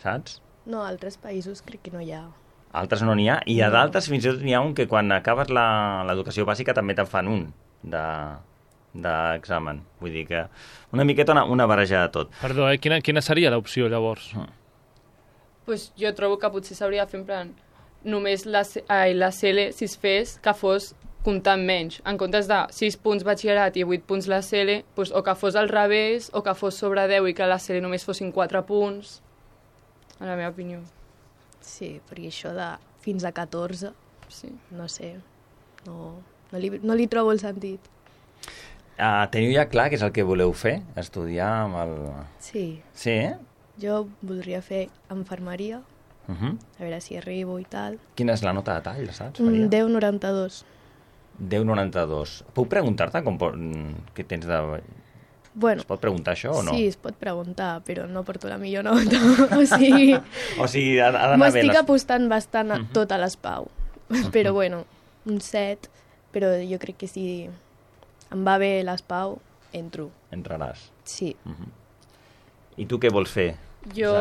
Saps? No, a altres països crec que no hi ha. Altres no n'hi ha, i a d'altres fins i tot n'hi ha un que quan acabes l'educació bàsica també te'n fan un d'examen. Vull dir que una miqueta una barreja de tot. Perdó, quina seria l'opció, llavors? Pues jo trobo que potser s'hauria de fer en plan només la CL, si es fes, que fos comptant menys. En comptes de 6 punts batxillerat i 8 punts la CL, doncs, o que fos al revés, o que fos sobre 10 i que la CL només fossin 4 punts, en la meva opinió. Sí, perquè això de fins a 14, sí. No sé, no li trobo el sentit. Teniu ja clar què és el que voleu fer? Estudiar amb el... Sí. Sí, Jo voldria fer infermeria, a veure si arribo i tal. Quina és la nota de tall, saps? 10,92. 10,92. Puc preguntar-te què tens de Bueno, es pot preguntar això o no? Sí, es pot preguntar, però no porto la millor nota. O sigui, ha d'anar bé. M'estic apostant bastant a tot a l'ESPAU. Però bueno, un 7, però jo crec que si em va bé l'ESPAU, entro. Entraràs. Sí. I tu què vols fer? Jo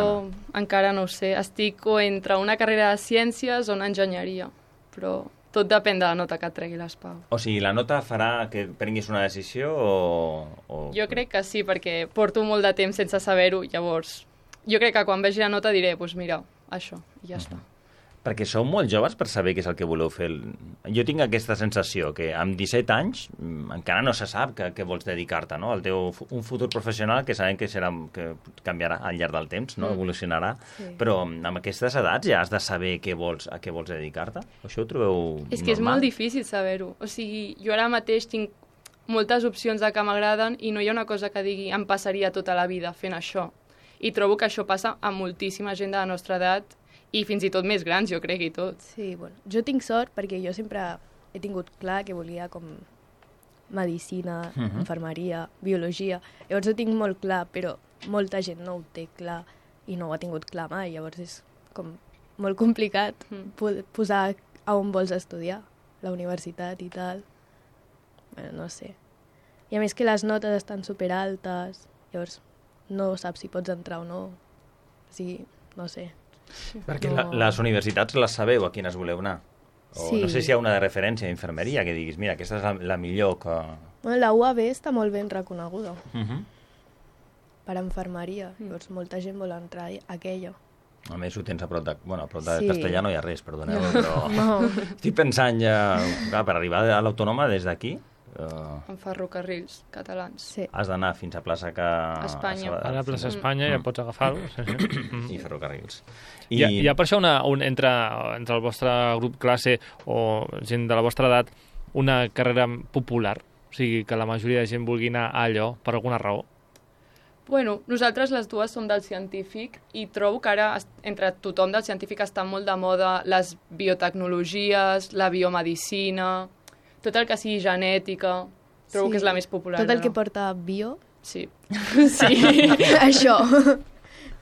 encara no ho sé. Estic o entre una carrera de ciències o una enginyeria, però tot depèn de la nota que et tregui l'ESPAU. O sigui, la nota farà que prenguis una decisió o... Jo crec que sí, perquè porto molt de temps sense saber-ho, llavors jo crec que quan vegi la nota diré, doncs mira, això, i ja està. Perquè sou molt joves per saber què és el que voleu fer. Jo tinc aquesta sensació que amb 17 anys encara no se sap que vols dedicar-te, no? Un futur professional que sabem que canviarà al llarg del temps, no? Evolucionarà, però amb aquestes edats ja has de saber a què vols dedicar-te? Això ho trobeu normal? És que és molt difícil saber-ho. O sigui, jo ara mateix tinc moltes opcions de que m'agraden i no hi ha una cosa que digui em passaria tota la vida fent això. I trobo que això passa a moltíssima gent de la nostra edat i fins i tot més grans, jo crec, i tot. Sí, bueno, jo tinc sort perquè jo sempre he tingut clar que volia com medicina, infermeria, biologia. Llavors ho tinc molt clar, però molta gent no ho té clar i no ho ha tingut clar mai. Llavors és com molt complicat posar a on vols estudiar, la universitat i tal. Bueno, no sé. I a més que les notes estan superaltes, llavors no saps si pots entrar o no. O sigui, no sé. Perquè les universitats les sabeu a quines voleu anar? O sí. No sé si hi ha una de referència d'infermeria que diguis, mira, aquesta és la millor que... Bueno, la UAB està molt ben reconeguda per infermeria, llavors molta gent vol entrar a aquella. A més, ho tens a prop de... Bueno, a prop de Castellà no hi ha res, perdoneu, però... No. Estic pensant ja... Clar, per arribar a l'Autònoma des d'aquí... En ferrocarrils catalans. Sí. Has d'anar fins a plaça Espanya. A la plaça Espanya ja pots agafar-ho. I ferrocarrils. Hi ha per això entre el vostre grup classe o gent de la vostra edat una carrera popular? O sigui, que la majoria de gent vulgui anar a allò per alguna raó? Bueno, nosaltres les dues som del científic i trobo que ara entre tothom del científic està molt de moda les biotecnologies, la biomedicina... Tot el que sigui genètica, trobo que és la més popular. Tot el que porta bio? Sí. Això.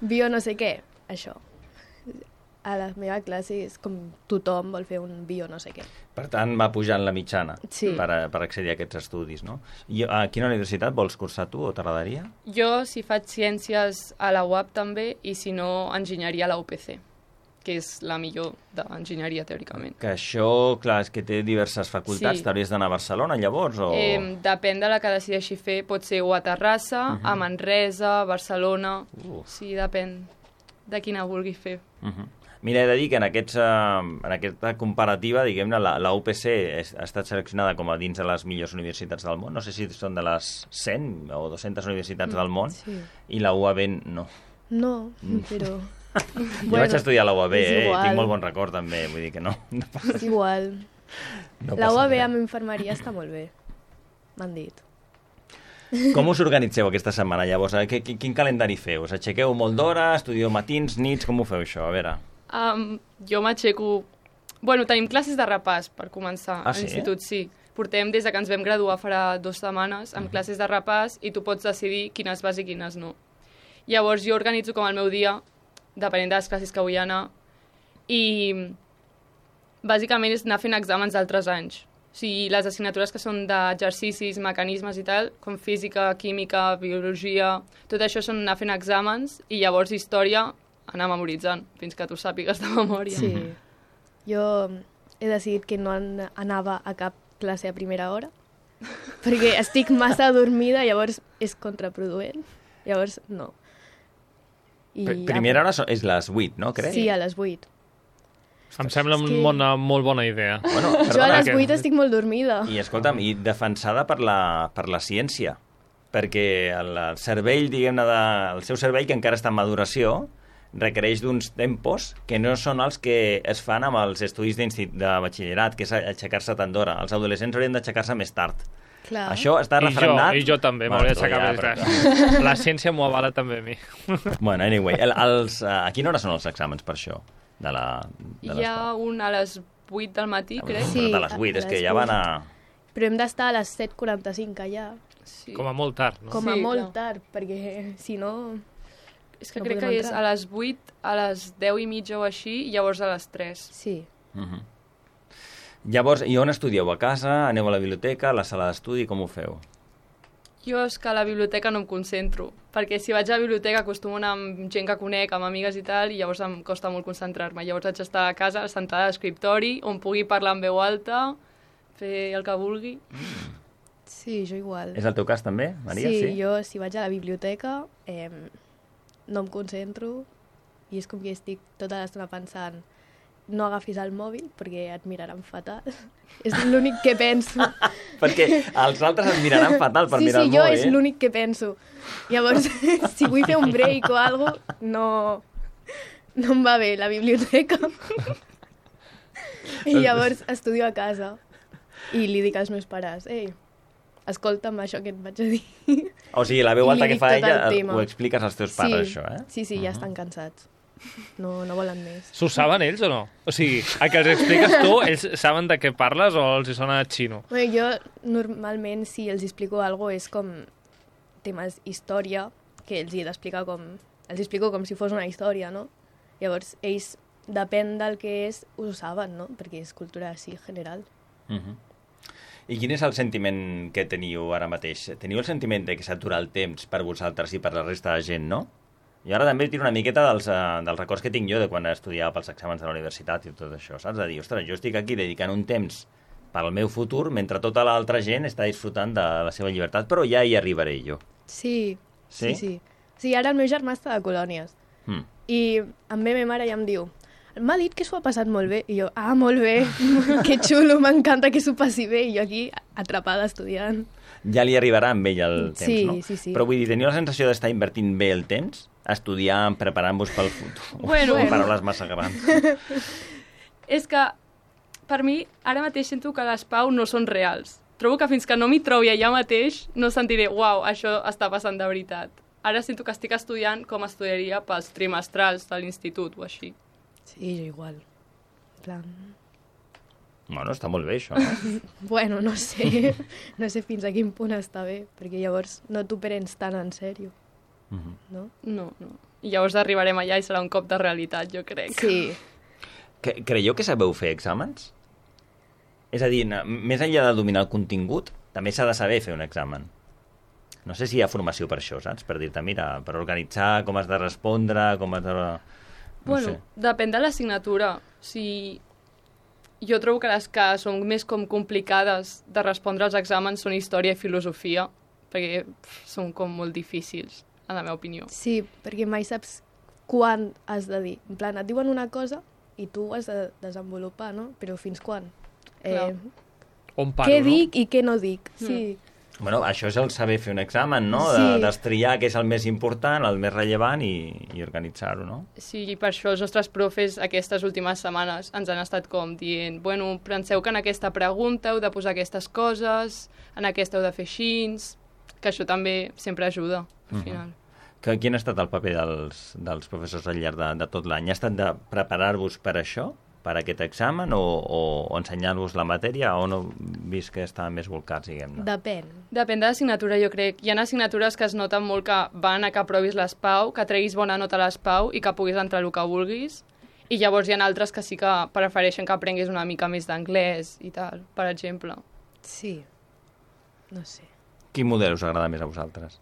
Bio no sé què. Això. A la meva classe és com tothom vol fer un bio no sé què. Per tant, va pujant la mitjana per accedir a aquests estudis, no? I a quina universitat vols cursar tu o t'agradaria? Jo, si faig ciències a la UAB també, i si no, enginyeria a la UPC, que és la millor d'enginyeria, teòricament. Que això, clar, és que té diverses facultats. T'hauries d'anar a Barcelona, llavors? O... Depèn de la que decideixi fer. Pot ser o a Terrassa, a Manresa, Barcelona... Sí, depèn de quina vulgui fer. Mira, he de dir que en aquesta comparativa, diguem-ne, la UPC ha estat seleccionada com a dins de les millors universitats del món. No sé si són de les 100 o 200 universitats del món, i la UAB no. No, però... Jo vaig estudiar a la UAB, tinc molt bon record també, vull dir que no. És igual. La UAB amb infermeria està molt bé, m'han dit. Com us organitzeu aquesta setmana, llavors? Quin calendari feu? Us aixequeu molt d'hora, estudieu matins, nits, com ho feu això? A veure. Jo m'aixeco... Bueno, tenim classes de repàs per començar a l'institut, sí. Portem des que ens vam graduar farà 2 setmanes amb classes de repàs i tu pots decidir quines vas i quines no. Llavors jo organitzo com el meu dia, depenent de les classes que vull anar, i bàsicament és anar fent exàmens d'altres anys. O sigui, les assignatures que són d'exercicis, mecanismes i tal, com física, química, biologia, tot això són anar fent exàmens i llavors història anar memoritzant fins que tu sàpigues de memòria. Sí. Jo he decidit que no anava a cap classe a primera hora perquè estic massa adormida, llavors és contraproduent. Llavors, no. Primera hora és les 8, no, crec? Sí, a les 8. Em sembla una molt bona idea. Bueno, jo a les 8 estic molt dormida. I escolta'm, i defensada per la ciència, perquè el cervell, diguem-ne, el seu cervell, que encara està en maduració, requereix d'uns tempos que no són els que es fan amb els estudis de batxillerat, que és aixecar-se tant d'hora. Els adolescents haurien d'aixecar-se més tard. Clar. Això està refrendat... I jo també, m'hauria d'aixecar més tard. La ciència m'ho avala també a mi. Bueno, anyway, a quina hora són els exàmens per això? Hi ha un a les 8 del matí, crec. Sí, però de les 8, és que ja van a... Però hem d'estar a les 7:45 allà. Sí. Com a molt tard, no? Com a molt tard, perquè si no... És que crec que és a les 8, a les 10 i mitja o així, i llavors a les 3. Sí. Llavors, i on estudieu? A casa? Aneu a la biblioteca? A la sala d'estudi? Com ho feu? Jo és que a la biblioteca no em concentro, perquè si vaig a la biblioteca acostumo a anar amb gent que conec, amb amigues i tal, i llavors em costa molt concentrar-me. Llavors haig d'estar a casa, sentada a l'escriptori, on pugui parlar en veu alta, fer el que vulgui. Sí, jo igual. És el teu cas també, Maria? Sí, jo si vaig a la biblioteca no em concentro i és com que estic tota l'estona pensant no agafis el mòbil perquè et miraran fatal. És l'únic que penso. Perquè els altres et miraran fatal per mirar el mòbil. Sí, jo mòbil. és l'únic que penso. Llavors, si vull fer un break o alguna cosa, no em va bé la biblioteca. I llavors estudio a casa i li dic als meus pares, ei, escolta'm això que et vaig a dir. O sigui, la veu alta que fa ella ho expliques als teus pares, això, eh? Sí, ja estan cansats. No volen més. S'ho saben ells o no? O sigui, a que els expliques tu, ells saben de què parles o els sona xino? Bueno, jo normalment si els explico alguna cosa és com temes història, que els he d'explicar com... Els explico com si fos una història, no? Llavors, ells, depèn del que és, ho saben, no? Perquè és cultura així general. I quin és el sentiment que teniu ara mateix? Teniu el sentiment de que s'atura el temps per vosaltres i per la resta de gent, no? I ara també tiro una miqueta dels records que tinc jo de quan estudiava pels exàmens de la universitat i tot això, saps? De dir, ostres, jo estic aquí dedicant un temps pel meu futur mentre tota l'altra gent està disfrutant de la seva llibertat, però ja hi arribaré jo. Sí. Sí, ara el meu germà està de colònies i em ve ma mare i em diu m'ha dit que s'ho ha passat molt bé. I jo, molt bé, que xulo, m'encanta que s'ho passi bé. I jo aquí, atrapada, estudiant. Ja li arribarà amb ell el temps, no? Sí. Però vull dir, teniu la sensació d'estar invertint bé el temps? Estudiant, preparant-vos pel futur? Bueno. Paraules massa grans. És que, per mi, ara mateix sento que les Pau no són reals. Trobo que fins que no m'hi trobi allà mateix, no sentiré, uau, això està passant de veritat. Ara sento que estic estudiant com estudiaria pels trimestrals de l'institut o així. Sí, jo igual. En plan... Bueno, està molt bé, això, no? Bueno, no sé. No sé fins a quin punt està bé, perquè llavors no t'ho prens tan en sèrio. No? No. I llavors arribarem allà i serà un cop de realitat, jo crec. Sí. Creieu que sabeu fer exàmens? És a dir, més enllà de dominar el contingut, també s'ha de saber fer un examen. No sé si hi ha formació per això, saps? Per dir-te, mira, per organitzar com has de respondre, com has de... Bueno, depèn de l'assignatura. Jo trobo que les que són més com complicades de respondre als exàmens són història i filosofia, perquè són com molt difícils, en la meva opinió. Sí, perquè mai saps quan has de dir. En plan, et diuen una cosa i tu has de desenvolupar, no? Però fins quan? On paro, què dic i què no dic, sí. Bueno, això és el saber fer un examen, no? Sí. Destriar què és el més important, el més rellevant i organitzar-ho, no? Sí, i per això els nostres profes aquestes últimes setmanes ens han estat com dient bueno, penseu que en aquesta pregunta heu de posar aquestes coses, en aquesta heu de fer així, que això també sempre ajuda, al final. Quin ha estat el paper dels professors al llarg de tot l'any? Ha estat de preparar-vos per això? Per aquest examen o ensenyar-vos la matèria o no vist que estaven més volcats, diguem-ne? Depèn. Depèn de l'assignatura, jo crec. Hi ha assignatures que es noten molt que van a que aprovis les Pau, que treguis bona nota a les Pau i que puguis entrar el que vulguis. I llavors hi ha altres que sí que prefereixen que aprenguis una mica més d'anglès i tal, per exemple. Sí. No sé. Quin model us agrada més a vosaltres?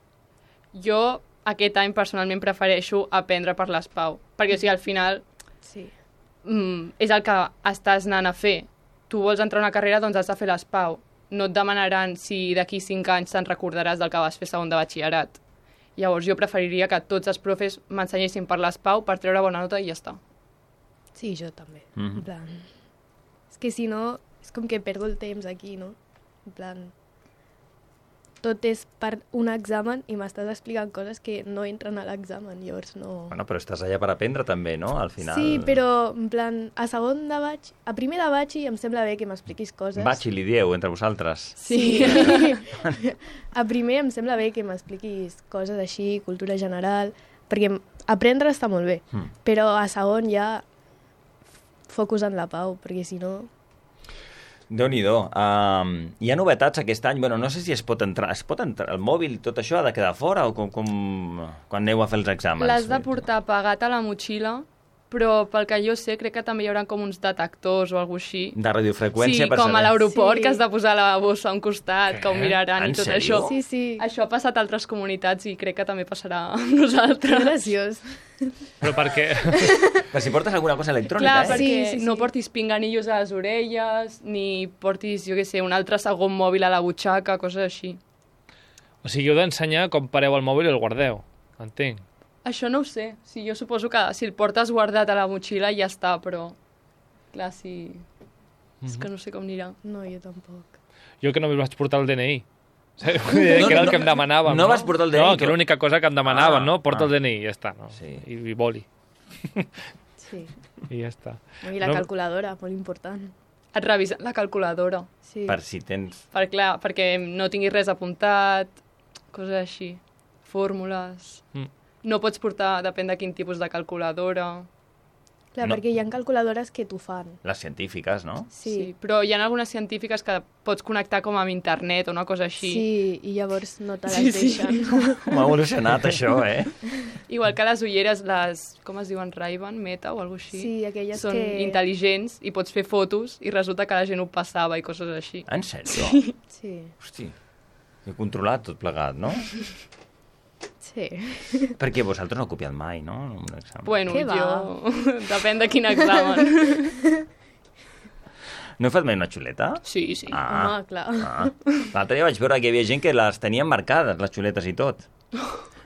Jo aquest any personalment prefereixo aprendre per les Pau, perquè o sigui, al final... Sí. És el que estàs anant a fer. Tu vols entrar a una carrera, doncs has de fer les Pau. No et demanaran si d'aquí 5 anys te'n recordaràs del que vas fer segon de batxillerat. Llavors jo preferiria que tots els profes m'ensenyessin per les Pau per treure bona nota i ja està. Sí, jo també. En plan... És que si no, és com que perdo el temps aquí, no? En plan... Tot és per un examen i m'estàs explicant coses que no entren a l'examen, llavors no... Bueno, però estàs allà per aprendre també, no? Al final... Sí, però, en plan, a segon de batx... A primer de batxi em sembla bé que m'expliquis coses. Batxi, li dieu, entre vosaltres. Sí. A primer em sembla bé que m'expliquis coses així, cultura general, perquè aprendre està molt bé, però a segon ja focus en la Pau, perquè si no... Déu-n'hi-do. Hi ha novetats aquest any. Bueno, no sé si es pot entrar el mòbil, tot això ha de quedar fora o com quan aneu a fer els exàmens? L'has de portar pagat a la motxilla, però pel que jo sé, crec que també hi haurà com uns detectors o alguna així. De radiofreqüència, sí, per saber. Com a l'aeroport, que has de posar la bossa a un costat, que ho miraran En i tot sèrio? això. Sí. Això ha passat a altres comunitats i crec que també passarà amb nosaltres. Graciós. Però per què? Per si portes alguna cosa electrònica, Clar, eh? perquè no portis pinganillos a les orelles, ni portis, jo què sé, un altre segon mòbil a la butxaca, coses així. O sigui, heu d'ensenyar com pareu el mòbil i el guardeu. Entenc. Això no ho sé. Sí, jo suposo que si el portes guardat a la motxilla ja està, però... Clar, sí... És que no sé com anirà. No, jo tampoc. Jo que només vaig portar el DNI. Que era el que em demanàvem, no? No vas portar el DNI? No, que era l'única cosa que em demanaven, no? Porta el DNI, ja està, no? Sí. I boli. Sí. I ja està. I la calculadora, molt important. Et revisen la calculadora. Sí. Per si tens... Perquè no tinguis res apuntat, coses així. Fórmules... No pots portar, depèn de quin tipus de calculadora. Clar, perquè hi ha calculadores que t'ho fan. Les científiques, no? Sí, però hi ha algunes científiques que pots connectar com amb internet o una cosa així. Sí, i llavors no te les deixen. Com ha evolucionat això, eh? Igual que les ulleres, com es diuen, Ray-Ban, Meta o alguna així. Sí, aquelles són intel·ligents i pots fer fotos i resulta que la gent ho passava i coses així. En sèrio? Sí. Hosti, he controlat tot plegat, no? Sí. Perquè vosaltres no heu copiat mai, no? En un examen. Bueno, jo... Depèn de quin examen. No heu fet mai una xuleta? Sí. Home, clar. L'altre dia vaig veure que hi havia gent que les tenien marcades, les xuletes i tot.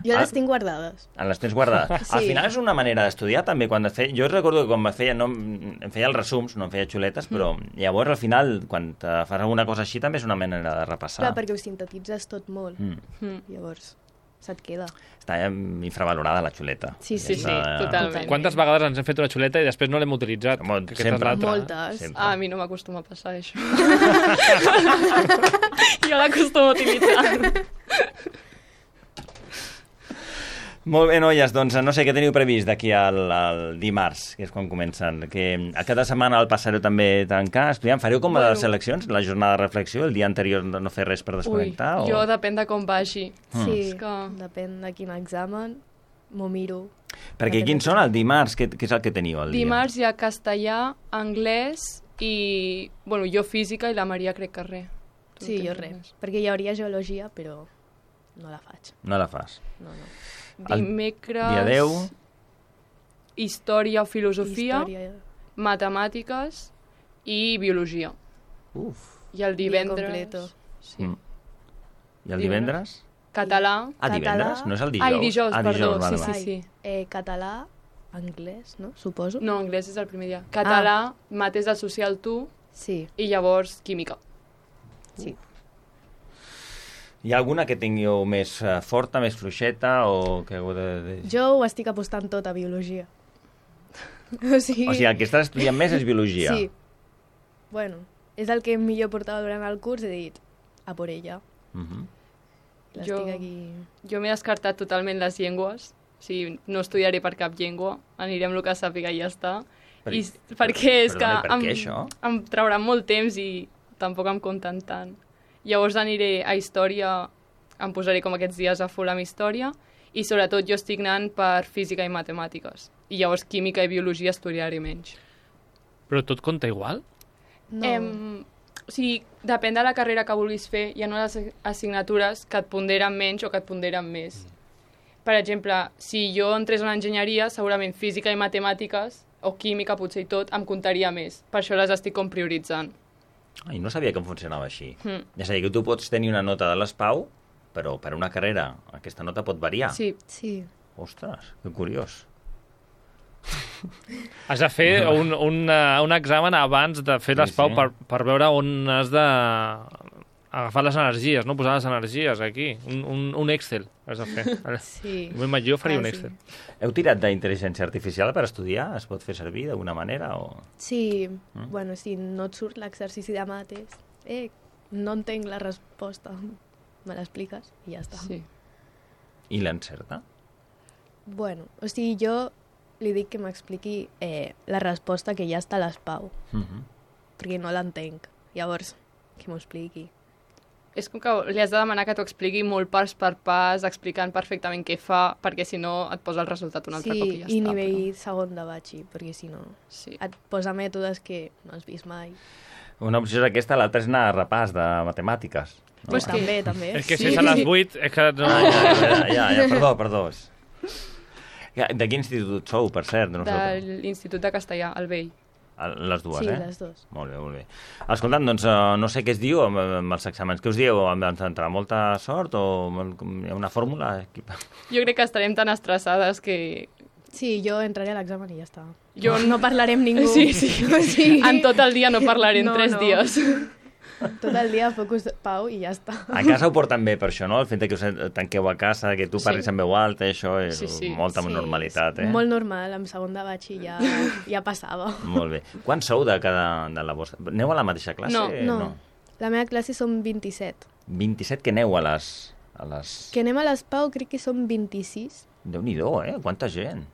Jo les tinc guardades. Les tens guardades. Sí. Al final és una manera d'estudiar també. Jo recordo que quan em feia els resums, no em feia xuletes, però llavors al final, quan te fas alguna cosa així, també és una manera de repassar. Clar, perquè ho sintetitzes tot molt. Llavors se't queda. Està infravalorada la xuleta. Sí, totalment. Quantes vegades ens hem fet una xuleta i després no l'hem utilitzat? Sempre. Moltes. A mi no m'acostuma a passar això. Jo l'acostumo a utilitzar. Molt bé, noies, doncs no sé què teniu previst d'aquí al dimarts, que és quan comencen. Que a cada setmana el passareu també tancar, estudiant. Fareu com a les eleccions, la jornada de reflexió, el dia anterior no fer res per desconnectar? Jo depèn de com vagi. Sí, depèn de quin examen, m'ho miro. Perquè quins són el dimarts? Què és el que teniu el dia? Dimarts hi ha castellà, anglès i... Bueno, jo física i la Maria crec que res. Sí, jo res. Perquè hi hauria geologia, però no la faig. No la fas? No. Dimecres... Dia 10... Història o filosofia, matemàtiques i biologia. Uf. I el divendres... Sí. I el divendres? Català. Divendres? No és el dijous? Dijous, perdó. Sí. Català, anglès, no? Suposo. No, anglès és el primer dia. Català, mates del social tu, i llavors química. Sí. Hi ha alguna que tingueu més forta, més fluixeta, o que heu de... Jo ho estic apostant tot a biologia. O sigui, el que estàs estudiant més és biologia. Sí. Bueno, és el que millor portava durant el curs, he dit, a por ella. L'estic aquí... Jo m'he descartat totalment les llengües, o sigui, no estudiaré per cap llengua, aniré amb el que sàpiga i ja està. Perquè és que em trauran molt temps i tampoc em compten tant. Llavors aniré a història, em posaré com aquests dies a full amb història, i sobretot jo estic anant per física i matemàtiques. I llavors química i biologia estudiaré menys. Però tot compta igual? No. O sigui, depèn de la carrera que vulguis fer, hi ha unes assignatures que et ponderen menys o que et ponderen més. Per exemple, si jo entrés a una enginyeria, segurament física i matemàtiques, o química potser i tot, em comptaria més. Per això les estic com prioritzant. I no sabia que funcionava així. És a dir, que tu pots tenir una nota de l'ESPAU, però per una carrera aquesta nota pot variar. Sí. Ostres, que curiós. Has de fer un examen abans de fer l'ESPAU per veure on has de agafar les energies, no? Posar les energies aquí. Un Excel has de fer. Sí. Jo faria un Excel. Heu tirat d'intel·ligència artificial per estudiar? Es pot fer servir d'alguna manera? Sí. Bueno, si no et surt l'exercici de mates, no entenc la resposta. Me l'expliques i ja està. Sí. I l'encerta? Bueno, o sigui, jo li dic que m'expliqui la resposta que ja està a l'ESPAU, perquè no l'entenc. Llavors, que m'ho expliqui. És com que li has de demanar que t'ho expliqui molt pas per pas, explicant perfectament què fa, perquè si no et posa el resultat un altre cop i ja està. Sí, i nivell segon de batxi, perquè si no et posa mètodes que no has vist mai. Una opció és aquesta, l'altra és anar a repàs de matemàtiques. No? Pues també. És que si és a les 8, és que no... Perdó. De quin institut sou, per cert? De l'Institut de Castellà, el Vell. Les dues, sí, les dues. Molt bé. Escolta'm, doncs no sé què es diu amb els exàmens. Què us dieu? Ens entrarà molta sort o hi ha una fórmula? Jo crec que estarem tan estressades que... Sí, jo entraré a l'examen i ja està. No parlaré amb ningú. Sí. En tot el dia no parlaré en 3 dies. Tot el dia focus Pau i ja està. A casa ho porten bé per això, no? El fet que us tanqueu a casa, que tu parlis amb veu alta, això és molta normalitat, eh? Molt normal, amb segon de batxi ja passava. Molt bé. Quants sou de la vostra? Aneu a la mateixa classe? No. La meva classe som 27. 27 que aneu a les... Que anem a les Pau crec que som 26. Déu-n'hi-do, Quanta gent.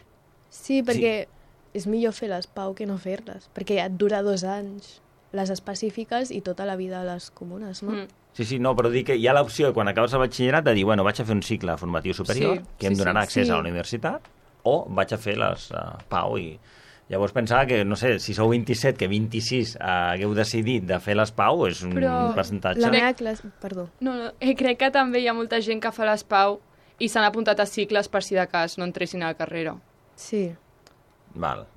Sí, perquè és millor fer les Pau que no fer-les, perquè et dura 2 anys les específiques i tota la vida a les comunes, no? Sí, no, però dic que hi ha l'opció, quan acabes el batxillerat, de dir, bueno, vaig a fer un cicle formatiu superior, que em donarà accés a la universitat, o vaig a fer les Pau i... Llavors pensava que, no sé, si sou 27, que 26 hagueu decidit de fer les Pau, és un percentatge... La meva classe... Perdó. No, crec que també hi ha molta gent que fa les Pau i s'han apuntat a cicles per si de cas no entressin a la carrera. Sí. Val.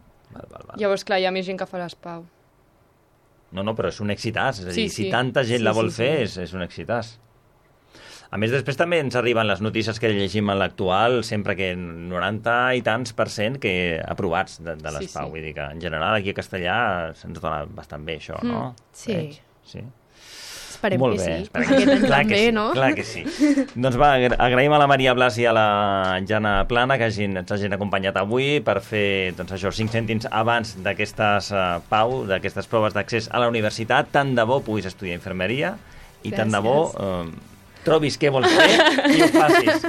Llavors, clar, hi ha més gent que fa les Pau. No, però és un excitàs. És a dir, si tanta gent la vol fer, és un excitàs. A més, després també ens arriben les notícies que llegim en l'actual, sempre que 90 i tants % que aprovats de les Pau. Vull dir que, en general, aquí a Castellà se'ns dona bastant bé, això, no? Sí. Esperem molt que bé, sí. Aquest any també, no? Clar que sí. Doncs va, agraïm a la Maria Blas i a la Jana Plana que ens hagin acompanyat avui per fer, doncs això, 5 cèntims abans d'aquestes Pau, d'aquestes proves d'accés a la universitat. Tant de bo puguis estudiar infermeria i tant de bo trobis què vols fer i ho facis.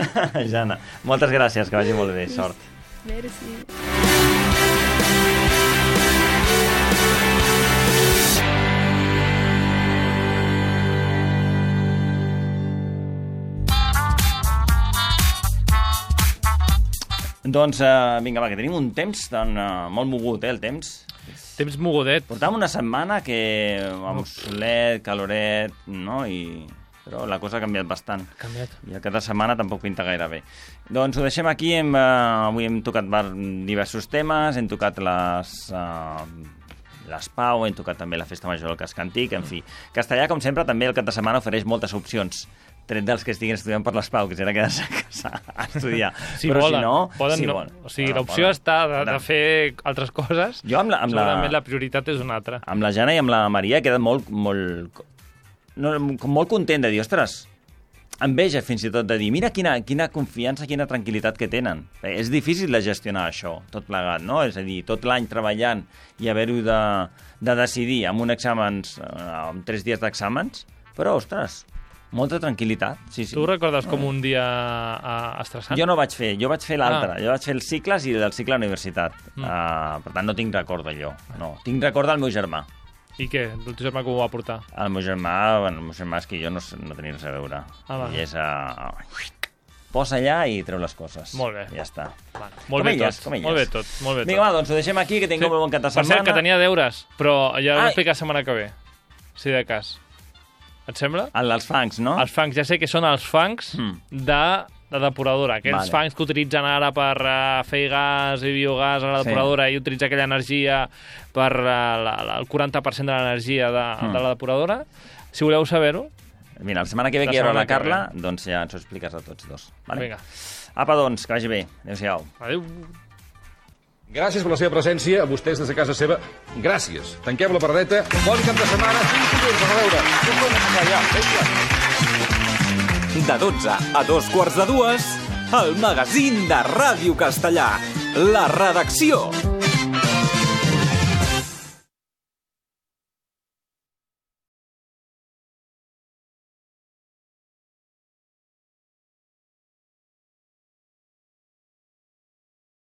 Jana, moltes gràcies, que vagi molt bé. Sort. Merci. Doncs vinga, va, que tenim un temps molt mogut, el temps. Temps mogudet. Portàvem una setmana que amb solet, caloret, no? Però la cosa ha canviat bastant. I cada setmana tampoc pinta gaire bé. Doncs ho deixem aquí. Avui hem tocat diversos temes, hem tocat les Pau, hem tocat també la Festa Major del Casc Antic, en fi. Castellà, com sempre, també el cap de setmana ofereix moltes opcions, tret dels que estiguin estudiant per les Pau, que serà quedar-se a casa a estudiar. Però si no... O sigui, l'opció està de fer altres coses. Segurament la prioritat és una altra. Amb la Jana i amb la Maria he quedat molt content de dir, ostres, enveja fins i tot de dir, mira quina confiança, quina tranquil·litat que tenen. És difícil de gestionar això, tot plegat, no? És a dir, tot l'any treballant i haver-ho de decidir amb un exàmens, amb 3 dies d'exàmens, però, ostres, molta tranquil·litat. Sí. Tu recordes com un dia estressant? Jo no vaig fer, jo vaig fer l'altre. Jo vaig fer els cicles i del cicle a la universitat. Per tant, no tinc record d'allò. No. Tinc record del meu germà. I què? El teu germà com ho va portar? El meu germà és que jo no tenia res a veure. I és posa allà i treu les coses. Molt bé. Ja està. Molt bé tot. Vinga, va, doncs ho deixem aquí, que tingueu molt bon cap de setmana. Per cert, que tenia deures, però ja ho explico la setmana que ve. Si de cas. Et sembla? Els fangs, no? Els fangs, ja sé que són els fangs de depuradora. Aquells fangs que utilitzen ara per fer gas i biogàs a la depuradora i utilitzar aquella energia per el 40% de l'energia de la depuradora. Si voleu saber-ho... Mira, la setmana que ve que hi haurà la Carla, doncs ja ens ho expliques a tots dos. Vinga. Apa, doncs, que vagi bé. Adéu-siau. Adéu. Gràcies per la seva presència, a vostès des de casa seva. Gràcies. Tanquem la paradeta. Bon cap de setmana. Fins a veure. De 12 a 2:15, el magazín de Ràdio Castellà. La redacció.